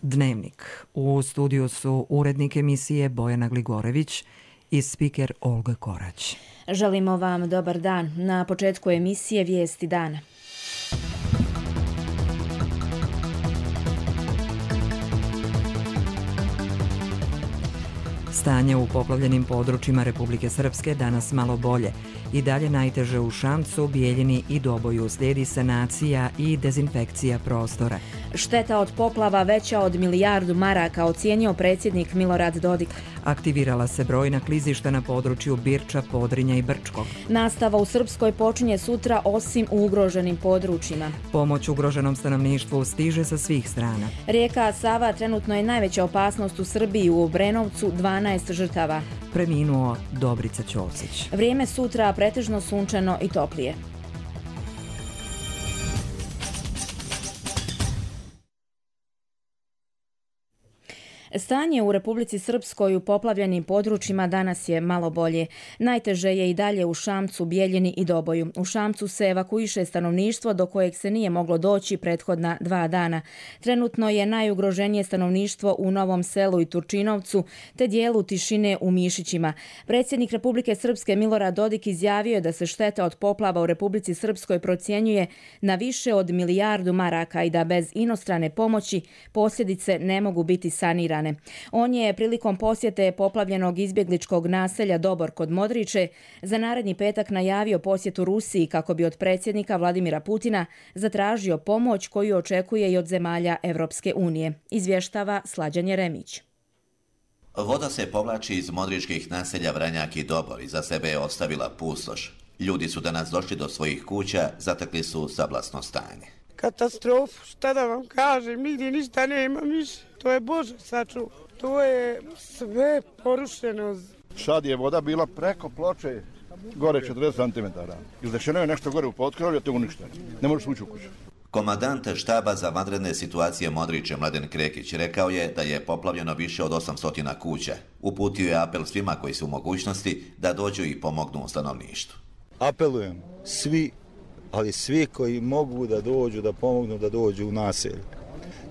Dnevnik. U studiju su urednik emisije Bojana Gligorević i spiker Olga Korać. Želimo vam dobar dan. Na početku emisije Vijesti dana. Stanje u poplavljenim područjima Republike Srpske danas malo bolje. I dalje najteže u Šamcu, Bijeljini i Doboju. Slijedi sanacija i dezinfekcija prostora. Šteta od poplava veća od milijardu maraka, ocijenio predsjednik Milorad Dodik. Aktivirala se brojna klizišta na području Birča, Podrinja i Brčkog. Nastava u Srpskoj počinje sutra osim u ugroženim područjima. Pomoć ugroženom stanovništvu stiže sa svih strana. Rijeka Sava trenutno je najveća opasnost u Srbiji, u Obrenovcu 12 žrtava. Preminuo Dobrica Ćosić. Vrijeme sutra pretežno sunčano i toplije. Stanje u Republici Srpskoj u poplavljenim područjima danas je malo bolje. Najteže je i dalje u Šamcu, Bijeljini i Doboju. U Šamcu se evakuiše stanovništvo do kojeg se nije moglo doći prethodna 2 dana. Trenutno je najugroženije stanovništvo u Novom Selu i Turčinovcu, te dijelu Tišine u Mišićima. Predsjednik Republike Srpske Milorad Dodik izjavio je da se šteta od poplava u Republici Srpskoj procjenjuje na više od milijardu maraka i da bez inostrane pomoći posljedice ne mogu biti sanirane. On je prilikom posjete poplavljenog izbjegličkog naselja Dobor kod Modriče za naredni petak najavio posjetu Rusiji kako bi od predsjednika Vladimira Putina zatražio pomoć koju očekuje i od zemalja Evropske unije. Izvještava Slađan Jeremić. Voda se povlači iz modričkih naselja Vranjak i Dobor i za sebe je ostavila pustoš. Ljudi su danas došli do svojih kuća, zatekli su sablasno stanje. Katastrofu, šta da vam kažem, nigdje ništa nema više. To je Bože sačuva. To je sve porušeno. Sad je voda bila preko ploče, gore 40 cm. Izdešeno je nešto gore u potkrovlju, to je uništeno. Ne možeš ući u kuću. Komandant štaba za vanredne situacije Modriče Mladen Krekić rekao je da je poplavljeno više od 800 kuća. Uputio je apel svima koji su u mogućnosti da dođu i pomognu stanovništvu. Apelujem svi, ali svi koji mogu da dođu, da pomognu, da dođu u naselje.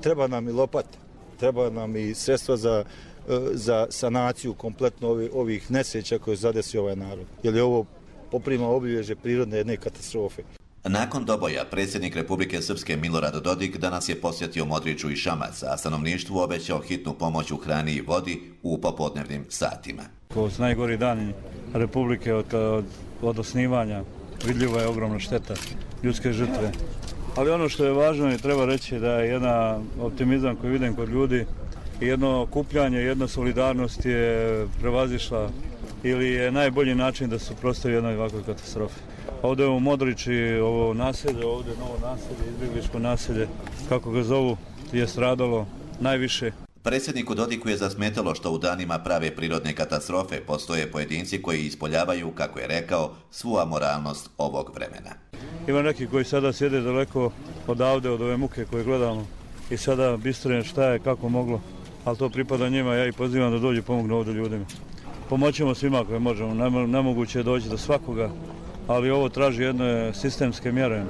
Treba nam i lopata, treba nam i sredstva za sanaciju kompletno ovih nesreća koje zadesi ovaj narod. Jer je ovo poprima obilježje prirodne jedne katastrofe. Nakon Doboja, predsjednik Republike Srpske Milorad Dodik danas je posjetio Modriču i Šamac, a stanovništvu obećao hitnu pomoć u hrani i vodi u popodnevnim satima. Ovo su najgori dani Republike od osnivanja. Vidljiva je ogromna šteta, ljudske žrtve. Ali ono što je važno i treba reći da je jedan optimizam koji vidim kod ljudi i jedno okupljanje, jedna solidarnost je prevazišla ili je najbolji način da se suprotstavi jednoj ovakvoj katastrofi. Ovdje u Modriči, ovo naselje, ovdje novo naselje, izbjegličko naselje, kako ga zovu, je stradalo najviše. Predsjedniku Dodiku je zasmetalo što u danima prave prirodne katastrofe postoje pojedinci koji ispoljavaju, kako je rekao, svu amoralnost ovog vremena. Ima neki koji sada sjede daleko odavde, od ove muke koje gledamo i sada bistre šta je, kako moglo, ali to pripada njima, ja ih pozivam da dođu pomognu ovdje ljudima. Pomoćemo svima koje možemo, nemoguće je doći do svakoga, ali ovo traži jedne sistemske mjere,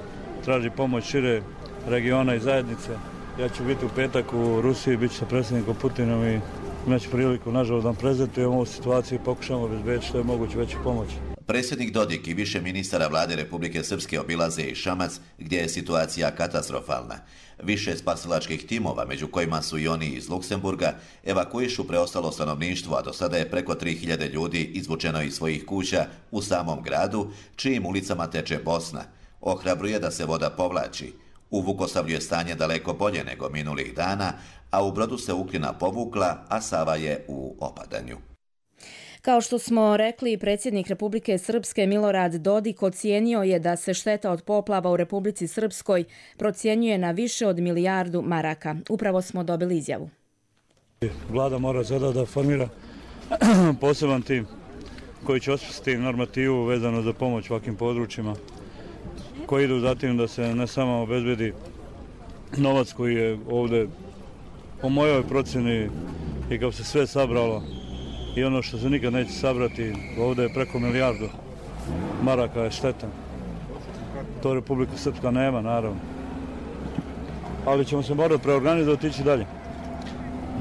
traži pomoć šire regiona i zajednice. Ja ću biti u petak u Rusiji, bit ću sa predsjednikom Putinom i imaću priliku, nažalost, da prezentujemo ovu situaciju i pokušamo obezbediti što je moguće veću pomoć. Predsjednik Dodik i više ministara vlade Republike Srpske obilaze i Šamac, gdje je situacija katastrofalna. Više spasilačkih timova, među kojima su i oni iz Luksemburga, evakuišu preostalo stanovništvo, a do sada je preko 3000 ljudi izvučeno iz svojih kuća u samom gradu, čijim ulicama teče Bosna. Ohrabruje da se voda povlači. U Vukosavlju je stanje daleko bolje nego minulih dana, a u Brodu se Uklina povukla, a Sava je u opadanju. Kao što smo rekli, predsjednik Republike Srpske Milorad Dodik ocijenio je da se šteta od poplava u Republici Srpskoj procjenjuje na više od milijardu maraka. Upravo smo dobili izjavu. Vlada mora sada da formira poseban tim koji će osmisliti normativu vezano za pomoć ovakvim područjima, koji idu zatim da se ne samo obezbedi novac koji je ovdje po mojoj procjeni i kao se sve sabralo i ono što se nikad neće sabrati, ovdje je preko milijardu maraka je šteta. To Republika Srpska nema, naravno. Ali ćemo se morati preorganizovati i ići dalje.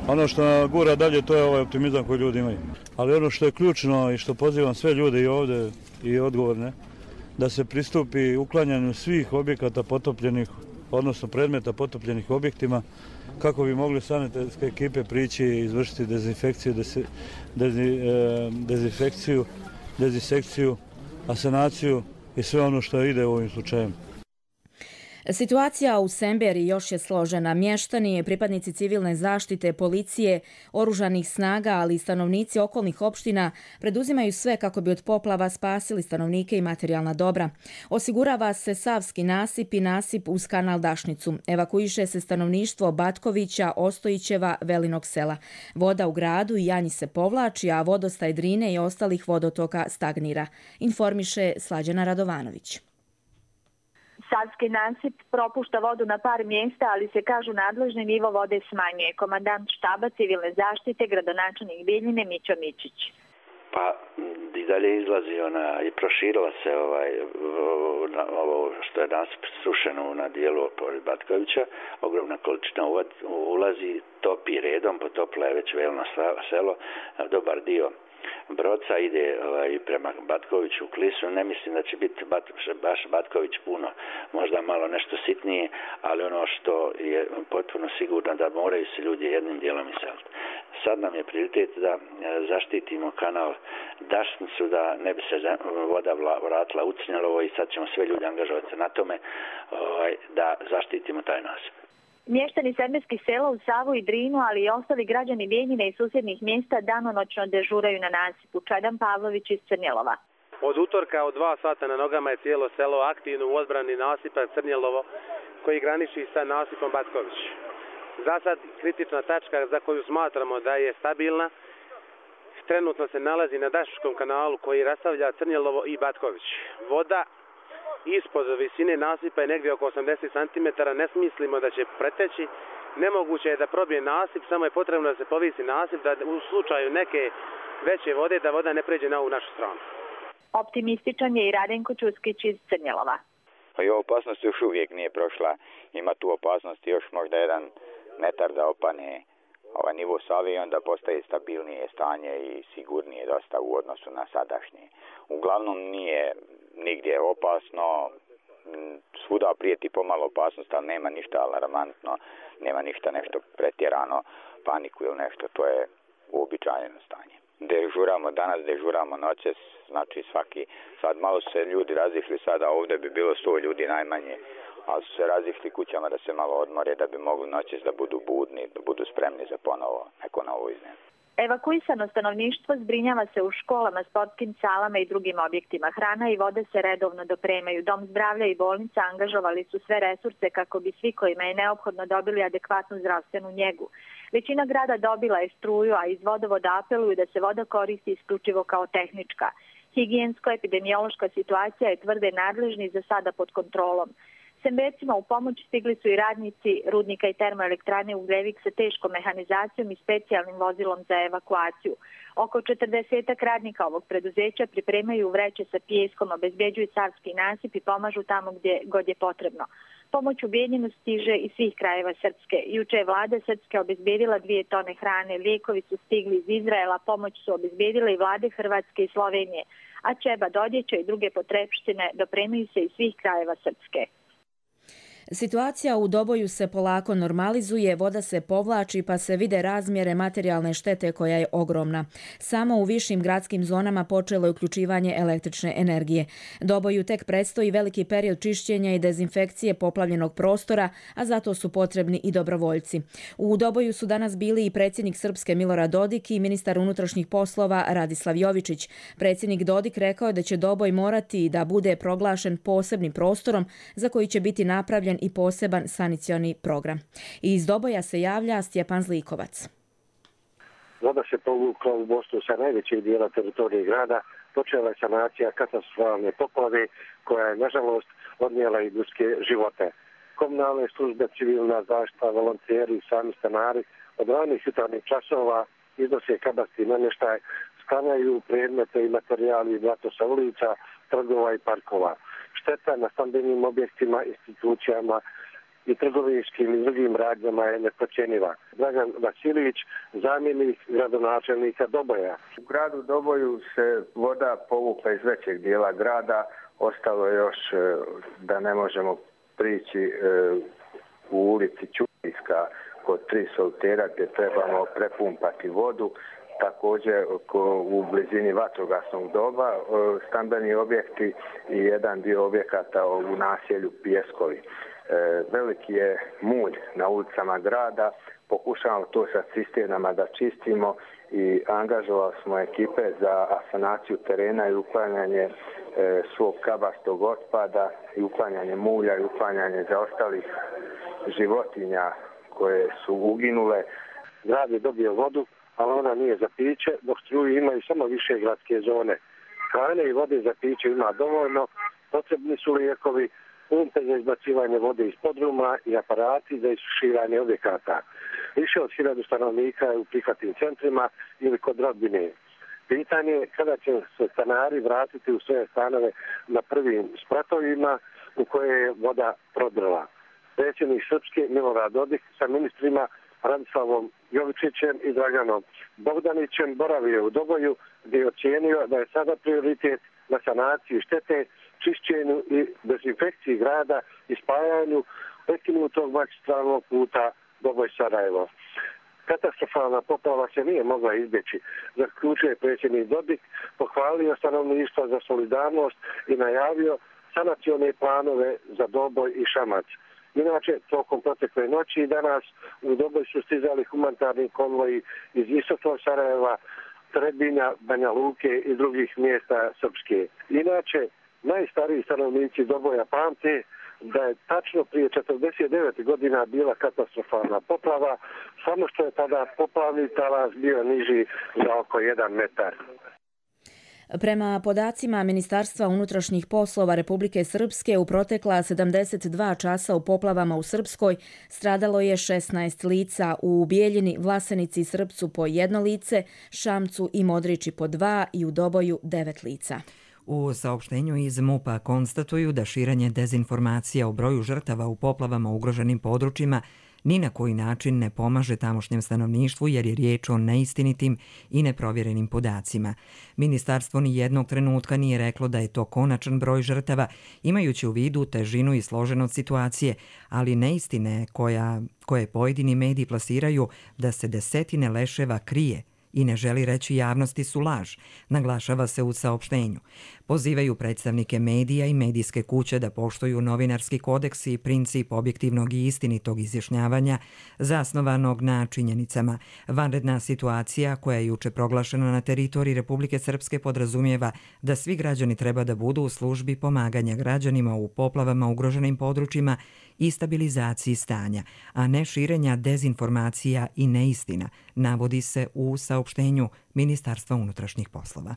Ono što gura dalje, to je ovaj optimizam koji ljudi imaju. Ali ono što je ključno i što pozivam sve ljude i ovdje i odgovorne, da se pristupi uklanjanju svih objekata potopljenih, odnosno predmeta potopljenih objektima, kako bi mogli sanitetske ekipe prići i izvršiti dezinfekciju, asanaciju i sve ono što ide u ovim slučajima. Situacija u Semberi još je složena. Mještani, pripadnici civilne zaštite, policije, oružanih snaga, ali i stanovnici okolnih opština preduzimaju sve kako bi od poplava spasili stanovnike i materijalna dobra. Osigurava se Savski nasip i nasip uz kanal Dašnicu. Evakuiše se stanovništvo Batkovića, Ostojićeva, Velinog sela. Voda u gradu i Janji se povlači, a vodostaj Drine i ostalih vodotoka stagnira. Informiše Slađana Radovanović. Savski nasip propušta vodu na par mjesta, ali se kažu nadležni nivo vode smanjuje. Komandant štaba civilne zaštite, gradonačelnik Bijeljine Mićo Mičić. Pa i dalje izlazi i proširila se ovo što je nasip srušeno na dijelu pored Batkovića. Ogromna količina ulazi, topi redom, potopila je već Velino selo, dobar dio Broca ide prema Batkoviću u Klisu. Ne mislim da će biti baš Batković puno, možda malo nešto sitnije, ali ono što je potpuno sigurno da moraju se ljudi jednim dijelom iseliti. Sad nam je prioritet da zaštitimo kanal Dašnicu, da ne bi se voda vratila u Crnjelovo i sad ćemo sve ljudi angažovati na tome da zaštitimo taj nasip. Mještani semberskih sela u Savu i Drinu, ali i ostali građani Bijeljine i susjednih mjesta danonoćno dežuraju na nasipu. Čadan Pavlović iz Crnjelova. Od utorka od 2 sata na nogama je cijelo selo aktivno u odbrani nasipa Crnjelovo koji graniči sa nasipom Batković. Za sad kritična tačka za koju smatramo da je stabilna trenutno se nalazi na Dašničkom kanalu koji rastavlja Crnjelovo i Batković. Voda ispod visine nasipa je negdje oko 80 cm, ne mislimo da će preteći. Nemoguće je da probije nasip, samo je potrebno da se povisi nasip, da u slučaju neke veće vode, da voda ne pređe na ovu našu stranu. Optimističan je i Radenko Čuskić iz Crnjelova. Pa i opasnost još uvijek nije prošla. Ima tu opasnosti još možda 1 metar da opane nivo Save i onda postaje stabilnije stanje i sigurnije dosta u odnosu na sadašnje. Uglavnom nije nigdje opasno, svuda prijeti pomalo opasnost, ali nema ništa alarmantno, nema ništa nešto pretjerano, paniku ili nešto, to je uobičajeno stanje. Dežuramo danas, dežuramo noćas, znači sad malo su se ljudi razišli, sada ovdje bi bilo 100 ljudi najmanje, ali su se razišli kućama da se malo odmore, da bi mogli noćas da budu budni, da budu spremni za ponovo neko novo iznenađenje. Evakuisano stanovništvo zbrinjava se u školama, sportskim salama i drugim objektima. Hrana i vode se redovno dopremaju. Dom zdravlja i bolnica angažovali su sve resurse kako bi svi kojima je neophodno dobili adekvatnu zdravstvenu njegu. Većina grada dobila je struju, a iz vodovoda apeluju da se voda koristi isključivo kao tehnička. Higijensko-epidemiološka situacija je, tvrde nadležni, za sada pod kontrolom. Sembercima u pomoć stigli su i radnici rudnika i termoelektrane Ugljevik sa teškom mehanizacijom i specijalnim vozilom za evakuaciju. Oko 40 radnika ovog preduzeća pripremaju vreće sa pijeskom, obezbjeđuju Savski nasip i pomažu tamo gdje god je potrebno. Pomoć u Bijeljinu stiže iz svih krajeva Srpske. Juče je vlada Srpske obezbjedila 2 tone hrane, lijekovi su stigli iz Izraela, pomoć su obezbjedile i vlade Hrvatske i Slovenije, a ćebad, odjeća i druge potrepštine dopremaju se iz svih krajeva Srpske. Situacija u Doboju se polako normalizuje, voda se povlači pa se vide razmjere materijalne štete koja je ogromna. Samo u višim gradskim zonama počelo je uključivanje električne energije. Doboju tek predstoji veliki period čišćenja i dezinfekcije poplavljenog prostora, a zato su potrebni i dobrovoljci. U Doboju su danas bili i predsjednik Srpske Milorad Dodik i ministar unutrašnjih poslova Radislav Jovičić. Predsjednik Dodik rekao je da će Doboj morati da bude proglašen posebnim prostorom za koji će biti napravljen i poseban sanicioni program. Iz Doboja se javlja Stjepan Zlikovac. Voda se povukla u Bosnu sa najvećeg dijela teritorije grada. Počela je sanacija katastrofalne poplave koja je nažalost odnijela i ljudske živote. Komunalne službe, civilna zaštita, volonteri i sami stanari od ranih jutarnjih časova iznose kabasti namještaj, sklanjaju predmete i materijali i blato sa ulica, trgova i parkova. Šteta na stambenim objektima, institucijama i trgovinskim i drugim radnjama je neprocjenjiva. Dragan Vasilić, zamjenik gradonačelnika Doboja. U gradu Doboju se voda povukla iz većeg dijela grada, ostalo je još da ne možemo prići u ulici Ćurijska kod 3 soltera gdje trebamo prepumpati vodu. Također u blizini vatrogasnog doba, stambeni objekti i jedan dio objekata u naselju Pijeskovi. Veliki je mulj na ulicama grada, pokušavamo to sa cisternama da čistimo i angažovali smo ekipe za asanaciju terena i uklanjanje svog kabastog otpada i uklanjanje mulja i uklanjanje zaostalih životinja koje su uginule. Grad je dobio vodu, ali ona nije za piće, dok struju imaju samo više gradske zone. Hrane i vode za piće ima dovoljno, potrebni su lijekovi, pumpe za izbacivanje vode iz podruma i aparati za isušivanje objekata. Više od 1000 stanovnika je u prihvatnim centrima ili kod rodbine. Pitanje je kada će se stanari vratiti u svoje stanove na prvim spratovima u koje je voda prodrla. Predsjednik Srpske Milorad Dodik sa ministrima Radislavom Jovičićem i Draganom Bogdanićem boravio u Doboju gdje je ocijenio da je sada prioritet na sanaciju štete, čišćenju i dezinfekciji grada i spajanju prekinutog magistralnog puta Doboj-Sarajevo. Katastrofalna poplava se nije mogla izbjeći, zaključuje predsjednik Dodik, pohvalio stanovništvo za solidarnost i najavio sanacione planove za Doboj i Šamac. Inače, tokom protekle noći i danas u Doboj su stizali humanitarni konvoji iz istočnog Sarajeva, Trebinja, Banja Luke i drugih mjesta Srpske. Inače, najstariji stanovnici Doboja pamte da je tačno prije 49 godina bila katastrofalna poplava, samo što je tada poplavni talas bio niži za oko 1 metar. Prema podacima Ministarstva unutrašnjih poslova Republike Srpske, u protekla 72 časa u poplavama u Srpskoj stradalo je 16 lica, u Bijeljini, Vlasenici i Srpcu po 1 lice, Šamcu i Modriči po 2 i u Doboju 9 lica. U saopštenju iz MUP-a konstatuju da širenje dezinformacija o broju žrtava u poplavama u ugroženim područjima ni na koji način ne pomaže tamošnjem stanovništvu jer je riječ o neistinitim i neprovjerenim podacima. Ministarstvo ni jednog trenutka nije reklo da je to konačan broj žrtava, imajući u vidu težinu i složenost situacije, ali neistine koje pojedini mediji plasiraju da se desetine leševa krije i ne želi reći javnosti su laž, naglašava se u saopštenju. Pozivaju predstavnike medija i medijske kuće da poštuju novinarski kodeks i princip objektivnog i istinitog izjašnjavanja zasnovanog na činjenicama. Vanredna situacija koja je juče proglašena na teritoriji Republike Srpske podrazumijeva da svi građani treba da budu u službi pomaganja građanima u poplavama ugroženim područjima i stabilizaciji stanja, a ne širenja dezinformacija i neistina, navodi se u saopštenju Ministarstva unutrašnjih poslova.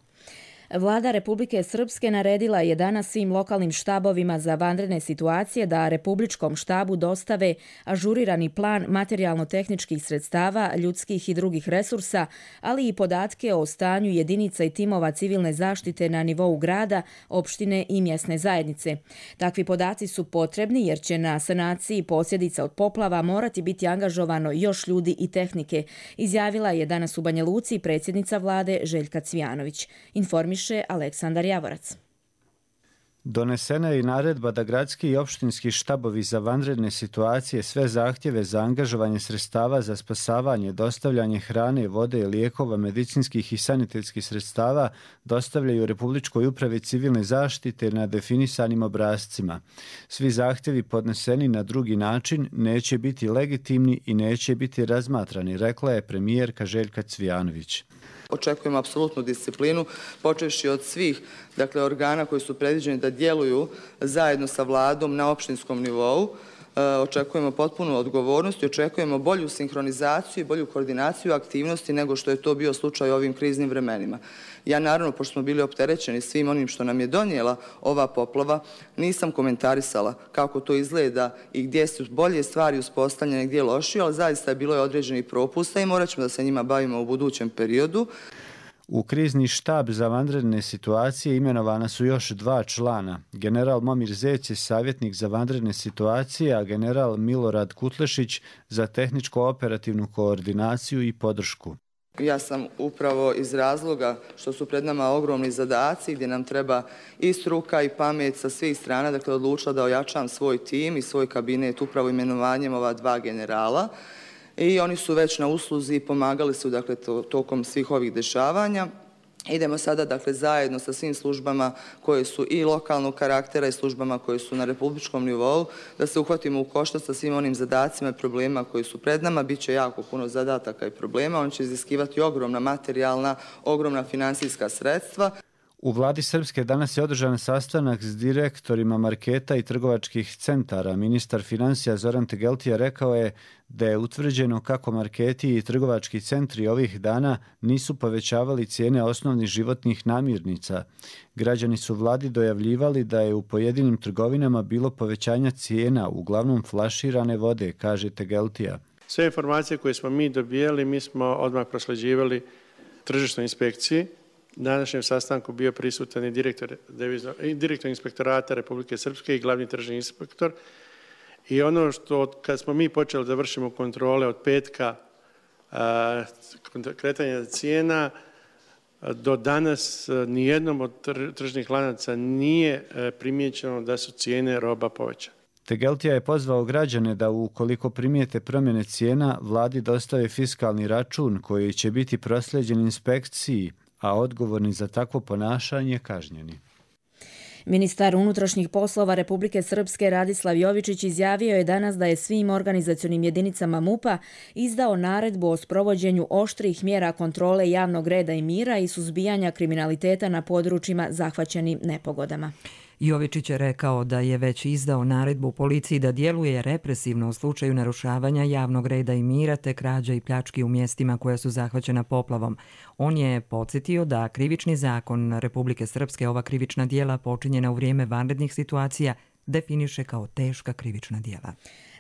Vlada Republike Srpske naredila je danas svim lokalnim štabovima za vanredne situacije da Republičkom štabu dostave ažurirani plan materijalno-tehničkih sredstava, ljudskih i drugih resursa, ali i podatke o stanju jedinica i timova civilne zaštite na nivou grada, opštine i mjesne zajednice. Takvi podaci su potrebni jer će na sanaciji posljedica od poplava morati biti angažovano još ljudi i tehnike, izjavila je danas u Banja Luci predsjednica vlade Željka Cvijanović. Informiše Aleksandar Javorac. Donesena je i naredba da gradski i opštinski štabovi za vanredne situacije sve zahtjeve za angažovanje sredstava za spasavanje, dostavljanje hrane, vode, lijekova, medicinskih i sanitetskih sredstava dostavljaju Republičkoj upravi civilne zaštite na definisanim obrascima. Svi zahtjevi podneseni na drugi način neće biti legitimni i neće biti razmatrani, rekla je premijerka Željka Cvijanović. Očekujemo apsolutnu disciplinu, počevši od svih organa koji su predviđeni da djeluju zajedno sa vladom na opštinskom nivou. Očekujemo potpunu odgovornost i očekujemo bolju sinhronizaciju i bolju koordinaciju aktivnosti nego što je to bio slučaj u ovim kriznim vremenima. Ja naravno, pošto smo bili opterećeni svim onim što nam je donijela ova poplava, nisam komentarisala kako to izgleda i gdje su bolje stvari uspostavljene, gdje lošije, ali zaista je bilo određenih propusta i morat ćemo da se njima bavimo u budućem periodu. U krizni štab za vanredne situacije imenovana su još 2 člana. General Momir Zec je savjetnik za vanredne situacije, a general Milorad Kutlešić za tehničko-operativnu koordinaciju i podršku. Ja sam upravo iz razloga što su pred nama ogromni zadaci gdje nam treba i struka i pamet sa svih strana, dakle odlučila da ojačam svoj tim i svoj kabinet upravo imenovanjem ova 2 generala. I oni su već na usluzi i pomagali su dakle tokom svih ovih dešavanja. Idemo sada dakle zajedno sa svim službama koje su i lokalnog karaktera i službama koje su na republičkom nivou da se uhvatimo u koštac sa svim onim zadacima i problema koji su pred nama. Biće jako puno zadataka i problema, on će iziskivati ogromna materijalna, ogromna financijska sredstva. U vladi Srpske danas je održan sastanak s direktorima marketa i trgovačkih centara. Ministar financija Zoran Tegeltija rekao je da je utvrđeno kako marketi i trgovački centri ovih dana nisu povećavali cijene osnovnih životnih namirnica. Građani su vladi dojavljivali da je u pojedinim trgovinama bilo povećanja cijena, uglavnom flaširane vode, kaže Tegeltija. Sve informacije koje smo mi dobijali, mi smo odmah prosleđivali tržišnoj inspekciji. Na današnjem sastanku bio prisutan i direktor inspektorata Republike Srpske i glavni tržni inspektor. I ono što kad smo mi počeli da vršimo kontrole od petka kretanja cijena, do danas nijednom od tržnih lanaca nije primijećeno da su cijene roba povećane. Tegeltija je pozvao građane da ukoliko primijete promjene cijena, vladi dostave fiskalni račun koji će biti proslijeđen inspekciji, a odgovorni za takvo ponašanje kažnjeni. Ministar unutrašnjih poslova Republike Srpske Radislav Jovičić izjavio je danas da je svim organizacionim jedinicama MUP-a izdao naredbu o sprovođenju oštrih mjera kontrole javnog reda i mira i suzbijanja kriminaliteta na područjima zahvaćenim nepogodama. Jovičić je rekao da je već izdao naredbu policiji da djeluje represivno u slučaju narušavanja javnog reda i mira te krađa i pljački u mjestima koja su zahvaćena poplavom. On je podsjetio da krivični zakon Republike Srpske ova krivična djela počinjena u vrijeme vanrednih situacija definiše kao teška krivična djela.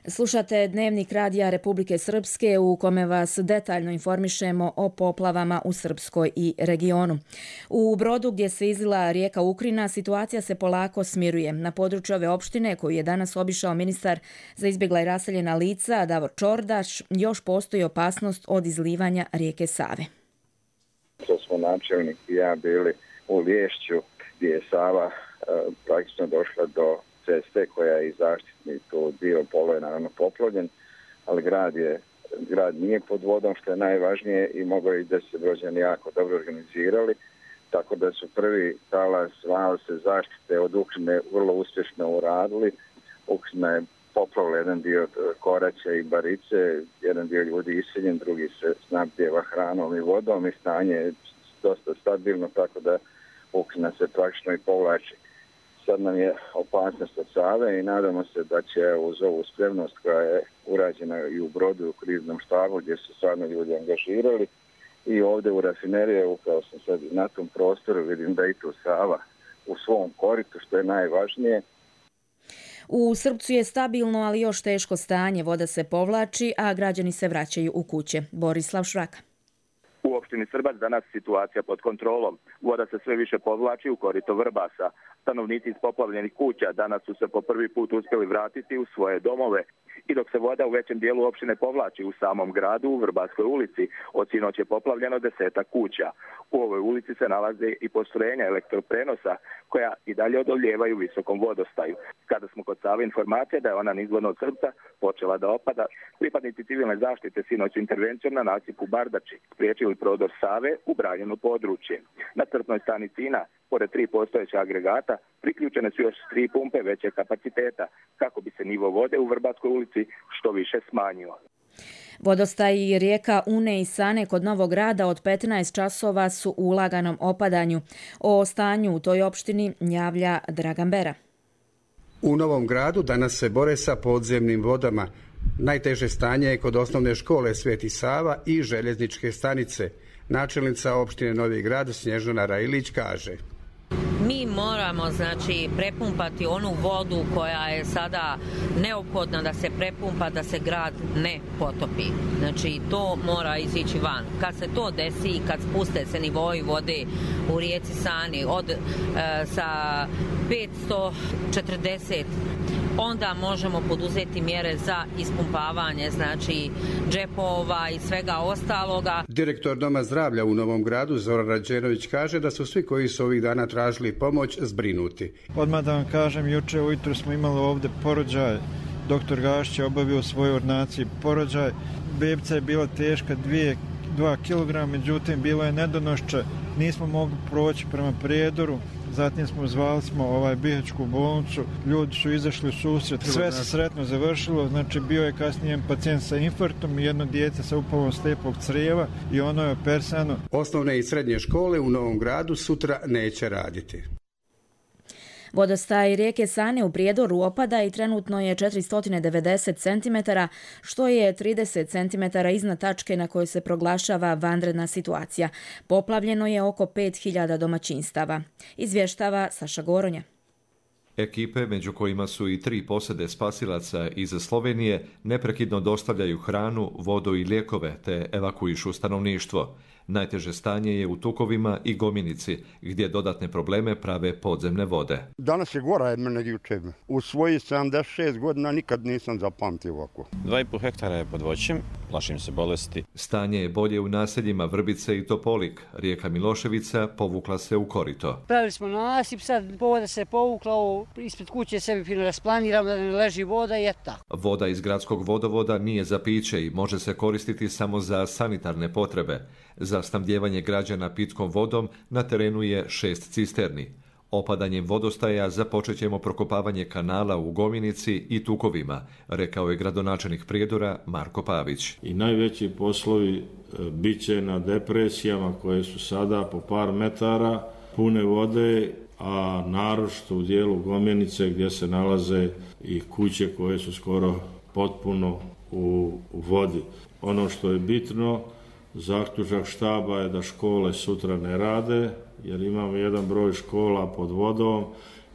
Slušate Dnevnik radija Republike Srpske u kome vas detaljno informišemo o poplavama u Srpskoj i regionu. U Brodu gdje se izlila rijeka Ukrina situacija se polako smiruje. Na području ove opštine koju je danas obišao ministar za izbjegla i raseljena lica Davor Čordaš još postoji opasnost od izlivanja rijeke Save. To smo načelnik i ja bili u Liješću gdje je Sava praktično došla do ceste koja je i zaštitni tu dio polo je naravno poplavljen, ali grad nije pod vodom što je najvažnije i mogu i da se Brođani jako dobro organizirali, tako da su prvi talas se zaštite od Ukrine vrlo uspješno uradili. Ukrina je poplavila jedan dio Koraća i Barice, jedan dio ljudi iseljen, drugi se snabdijeva hranom i vodom i stanje je dosta stabilno, tako da Ukrina se praktično i povlači. Sad nam je opasnost od Save i nadamo se da će uz ovu spremnost koja je urađena i u Brodu u kriznom štabu gdje su stvarno ljudi angažirali i ovdje u rafinerije, upravo sam sad na tom prostoru, vidim da i tu Sava u svom koritu što je najvažnije. U Srpcu je stabilno, ali još teško stanje. Voda se povlači, a građani se vraćaju u kuće. Borislav Švraka. U opštini Srbac danas situacija pod kontrolom. Voda se sve više povlači u korito Vrbasa. Stanovnici iz poplavljenih kuća danas su se po prvi put uspjeli vratiti u svoje domove. I dok se voda u većem dijelu opštine povlači u samom gradu, u Vrbaskoj ulici, od sinoć je poplavljeno 10 kuća. U ovoj ulici se nalaze i postrojenja elektroprenosa koja i dalje odoljevaju visokom vodostaju. Kada smo kod Save informacije da je ona nizvodno od Srpca počela da opada, pripadnici civilne zaštite sinoć intervencijom na nasipu Bardači spriječili prodor Save u branjeno područje. Na crpnoj stanici Ina, pored 3 postojeća agregata, priključene su još 3 pumpe većeg kapaciteta, kako bi se nivo vode u Vrbaskoj ulici što više smanjio. Vodostaj rijeka Une i Sane kod Novog Grada od 15 časova su u laganom opadanju. O stanju u toj opštini javlja Dragan Bera. U Novom Gradu danas se bore sa podzemnim vodama. Najteže stanje je kod osnovne škole Sveti Sava i željezničke stanice. Načelnica opštine Novi Grad Snježana Rajilić kaže: Mi moramo znači prepumpati onu vodu koja je sada neophodna da se prepumpa, da se grad ne potopi. Znači to mora izići van. Kad se to desi, kad spuste se nivoi vode u rijeci Sani sa 540, onda možemo poduzeti mjere za ispumpavanje, znači džepova i svega ostaloga. Direktor Doma zdravlja u Novom Gradu Zoran Rađenović kaže da su svi koji su ovih dana tražili pomoć zbrinuti. Odmah da vam kažem, juče ujutro smo imali ovdje porođaj. Doktor Gašić je obavio u svojoj ordinaciji porođaj. Bebica je bila teška 2 kg, međutim bilo je nedonošće. Nismo mogli proći prema Prijedoru. Zatim zvali smo Bihaćku bolnicu, ljudi su izašli u susret, sve se sretno završilo, znači bio je kasnije pacijent sa infarktom i jedno dijete sa upalom slijepog crijeva i ono je operisano. Osnovne i srednje škole u Novom Gradu sutra neće raditi. Vodostaj rijeke Sane u Prijedoru opada i trenutno je 490 cm, što je 30 cm iznad tačke na kojoj se proglašava vanredna situacija. Poplavljeno je oko 5000 domaćinstava. Izvještava Saša Goronja. Ekipe, među kojima su i 3 posade spasilaca iz Slovenije, neprekidno dostavljaju hranu, vodu i lijekove te evakuišu stanovništvo. Najteže stanje je u Tukovima i Gominici, gdje dodatne probleme prave podzemne vode. Danas je gora od mene juče. U svojih 76 godina nikad nisam zapamtio ovako. 2,5 hektara je pod voćem, plašim se bolesti. Stanje je bolje u naseljima Vrbice i Topolik. Rijeka Miloševica povukla se u korito. Pravili smo nasip, sad voda se povukla, ispred kuće sebi fino rasplaniramo da ne leži voda i eto. Voda iz gradskog vodovoda nije za piće i može se koristiti samo za sanitarne potrebe. Za snabdijevanje građana pitkom vodom na terenu je 6 cisterni. Opadanjem vodostaja započet ćemo prokopavanje kanala u Gominici i Tukovima, rekao je gradonačelnik Prijedora Marko Pavić. I najveći poslovi bit će na depresijama koje su sada po par metara pune vode, a naročito u dijelu Gominice gdje se nalaze i kuće koje su skoro potpuno u vodi. Ono što je bitno, zaključak štaba je da škole sutra ne rade, jer imamo jedan broj škola pod vodom,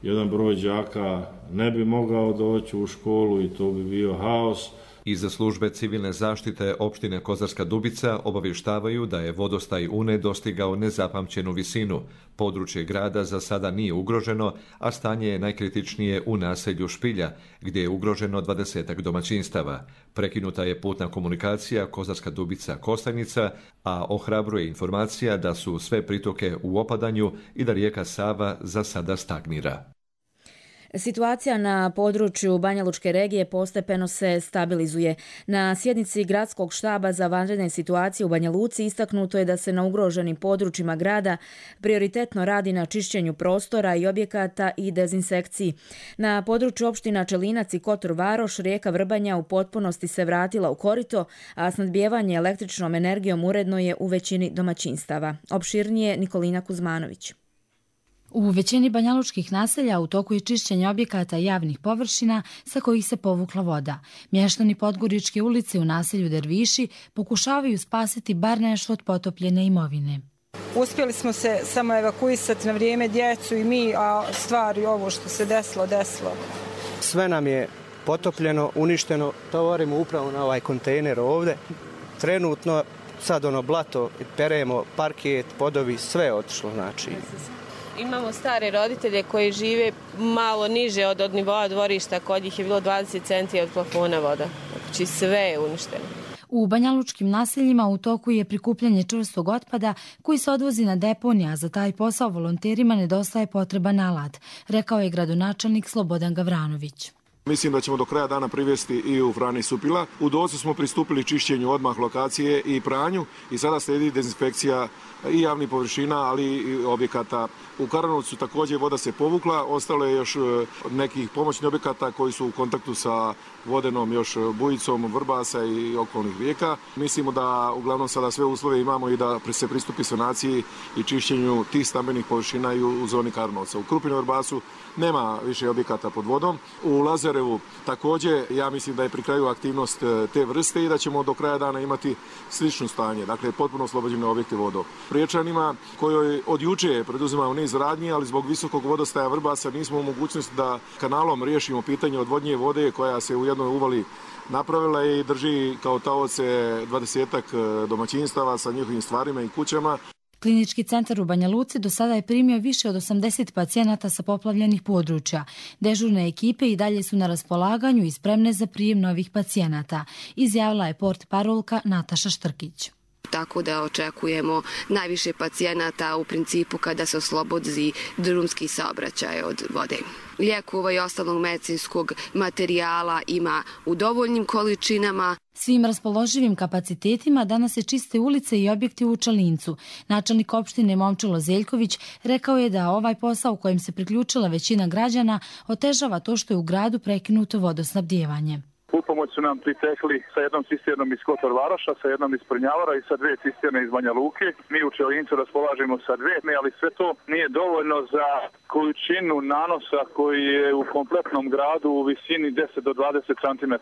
jedan broj đaka ne bi mogao doći u školu i to bi bio haos. Iz službe civilne zaštite opštine Kozarska Dubica obavještavaju da je vodostaj Une dostigao nezapamćenu visinu. Područje grada za sada nije ugroženo, a stanje je najkritičnije u naselju Špilja, gdje je ugroženo 20 domaćinstava. Prekinuta je putna komunikacija Kozarska Dubica-Kostajnica, a ohrabruje informacija da su sve pritoke u opadanju i da rijeka Sava za sada stagnira. Situacija na području Banjalučke regije postepeno se stabilizuje. Na sjednici Gradskog štaba za vanredne situacije u Banja Luci istaknuto je da se na ugroženim područjima grada prioritetno radi na čišćenju prostora i objekata i dezinsekciji. Na području opština Čelinac i Kotor Varoš rijeka Vrbanja u potpunosti se vratila u korito, a snadbijevanje električnom energijom uredno je u većini domaćinstava. Opširnije Nikolina Kuzmanović. U većini banjalučkih naselja u toku je čišćenje objekata i javnih površina sa kojih se povukla voda. Mještani Podgoričke ulice u naselju Derviši pokušavaju spasiti bar nešto od potopljene imovine. Uspjeli smo se samo evakuisati na vrijeme djecu i mi, a stvari ovo što se desilo. Sve nam je potopljeno, uništeno, tovarimo upravo na ovaj kontejner ovdje. Trenutno sad blato, peremo, parket, podovi, sve je otišlo znači. Imamo stare roditelje koji žive malo niže od nivoa dvorišta, kod njih je bilo 20 centi od plafona voda. Znači sve je uništeno. U banjalučkim naseljima u toku je prikupljanje čvrstog otpada koji se odvozi na deponije, a za taj posao volonterima nedostaje potreban alat, rekao je gradonačelnik Slobodan Gavranović. Mislim da ćemo do kraja dana privesti i u Frani Supila. U Docu smo pristupili čišćenju odmah lokacije i pranju i sada slijedi dezinspekcija i javnih površina, ali i objekata. U Karanovcu također voda se povukla, ostalo je još nekih pomoćnih objekata koji su u kontaktu sa vodenom još bujicom Vrbasa i okolnih rijeka. Mislimo da uglavnom sada sve uslove imamo i da se pristupi sanaciji i čišćenju tih stambenih površina i u zoni Karanovca. U Krupinu Vrbasu nema više objekata pod vodom. U Lazare Smederevu. Također, ja mislim da je pri kraju aktivnost te vrste i da ćemo do kraja dana imati slično stanje. Dakle, potpuno oslobođene objekte vodom. Priječanima kojoj od juče preduzimamo niz radnji, ali zbog visokog vodostaja Vrbasa nismo u mogućnosti da kanalom riješimo pitanje odvodnje vode koja se u jednoj uvali napravila i drži kao taoce 20-ak domaćinstava sa njihovim stvarima i kućama. Klinički centar u Banja Luci do sada je primio više od 80 pacijenata sa poplavljenih područja. Dežurne ekipe i dalje su na raspolaganju i spremne za prijem novih pacijenata, izjavila je portparolka Nataša Štrkić. Tako da očekujemo najviše pacijenata u principu kada se oslobodi drumski saobraćaj od vode. Lijekova i ostalog medicinskog materijala ima u dovoljnim količinama. Svim raspoloživim kapacitetima danas se čiste ulice i objekti u Čalincu. Načelnik opštine Momčilo Zeljković rekao je da ovaj posao u kojem se priključila većina građana otežava to što je u gradu prekinuto vodosnabdijevanje. U pomoć su nam pritekli sa jednom cisternom iz Kotor Varoša, sa jednom iz Prnjavora i sa 2 cisterne iz Banja Luke. Mi u Čelincu raspolažemo sa 2, ali sve to nije dovoljno za količinu nanosa koji je u kompletnom gradu u visini 10 do 20 cm.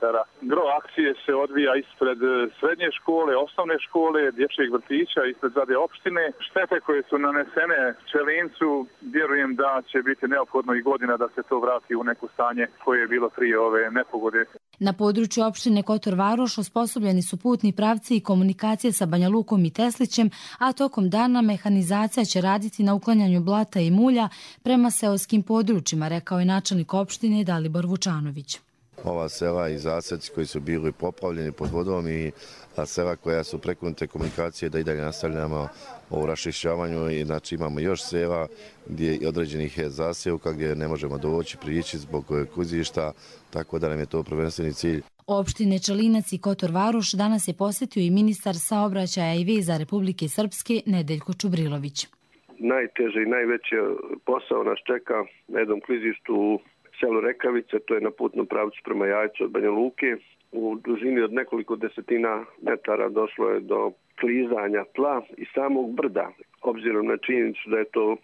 Gro akcije se odvija ispred srednje škole, osnovne škole, dječjeg vrtića, ispred zgrade opštine. Štete koje su nanesene Čelincu, vjerujem da će biti neophodno i godina da se to vrati u neko stanje koje je bilo prije ove nepogode. Na području opštine Kotor Varoš osposobljeni su putni pravci i komunikacije sa Banja Lukom i Teslićem, a tokom dana mehanizacija će raditi na uklanjanju blata i mulja prema seoskim područjima, rekao je načelnik opštine Dalibor Vučanović. Ova sela i zaseci koji su bili poplavljeni pod vodom i sela koja su prekinute komunikacije da i dalje nastavljamo o rašišćavanju i znači imamo još sela gdje je određenih zasjevka gdje ne možemo doći, prići zbog klizišta, tako da nam je to prvenstveni cilj. Opštine Čalinac i Kotor Varoš danas je posjetio i ministar saobraćaja i veza Republike Srpske Nedeljko Čubrilović. Najteže i najveći posao nas čeka na jednom klizištu u selu Rekavice, to je na putnom pravcu prema Jajcu od Banja Luke. U dužini od nekoliko desetina metara došlo je do klizanja tla i samog brda, obzirom na činjenicu da je to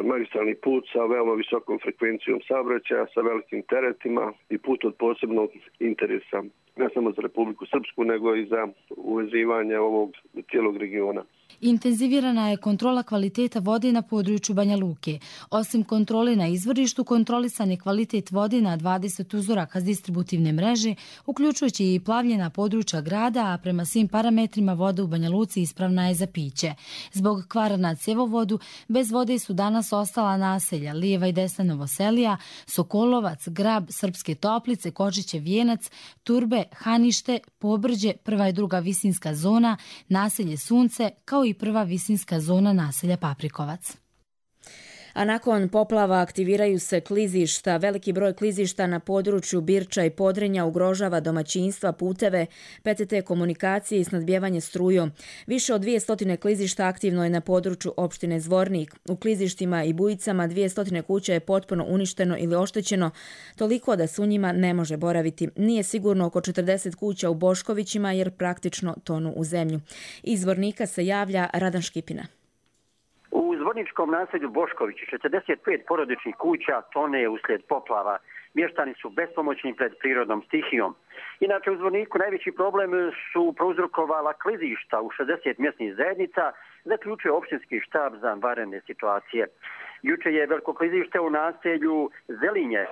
magistralni put sa veoma visokom frekvencijom saobraćaja, sa velikim teretima i put od posebnog interesa, ne samo za Republiku Srpsku, nego i za uvezivanje ovog cijelog regiona. Intenzivirana je kontrola kvaliteta vode na području Banja Luke. Osim kontrole na izvorištu, kontrolisan je kvalitet vode na 20 uzoraka s distributivne mreže, uključujući i plavljena područja grada, a prema svim parametrima voda u Banja Luci ispravna je za piće. Zbog kvara na cjevovodu, bez vode su danas ostala naselja lijeva i desna Novoselija, Sokolovac, Grab, Srpske Toplice, Kočiće Vijenac, Turbe, Hanište, Pobrđe, prva i druga visinska zona, naselje Sunce, kao i prva visinska zona naselja Paprikovac. A nakon poplava aktiviraju se klizišta. Veliki broj klizišta na području Birča i Podrinja ugrožava domaćinstva, puteve, PTT komunikacije i snadbijevanje strujom. Više od 200 klizišta aktivno je na području opštine Zvornik. U klizištima i Bujicama 200 kuća je potpuno uništeno ili oštećeno, toliko da se u njima ne može boraviti. Nije sigurno oko 40 kuća u Boškovićima jer praktično tonu u zemlju. Iz Zvornika se javlja Radan Škipina. U zvorničkom naselju Boškovići 45 porodičnih kuća tone uslijed poplava. Mještani su bespomoćni pred prirodnom stihijom. Inače, u Zvorniku najveći problem su prouzrokovala klizišta u 60 mjesnih zajednica, zaključuje opštinski štab za vanredne situacije. Juče je veliko klizište u naselju Zelinje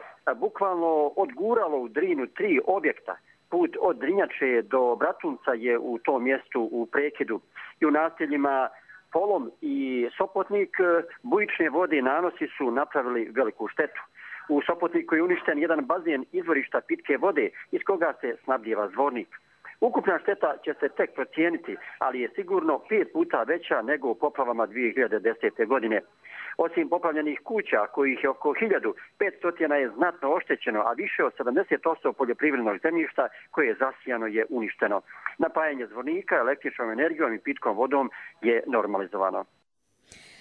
bukvalno odguralo u Drinu 3 objekta. Put od Drinjače do Bratunca je u tom mjestu u prekidu. I u naseljima Polom i Sopotnik bujične vode i nanosi su napravili veliku štetu. U Sopotniku je uništen jedan bazen izvorišta pitke vode iz koga se snabdijeva Zvornik. Ukupna šteta će se tek procijeniti, ali je sigurno 5 puta veća nego u poplavama 2010. godine. Osim poplavljenih kuća, kojih je oko 1500 je znatno oštećeno, a više od 70% poljoprivrednog zemljišta koje je zasijano je uništeno. Napajanje Zvornika električnom energijom i pitkom vodom je normalizovano.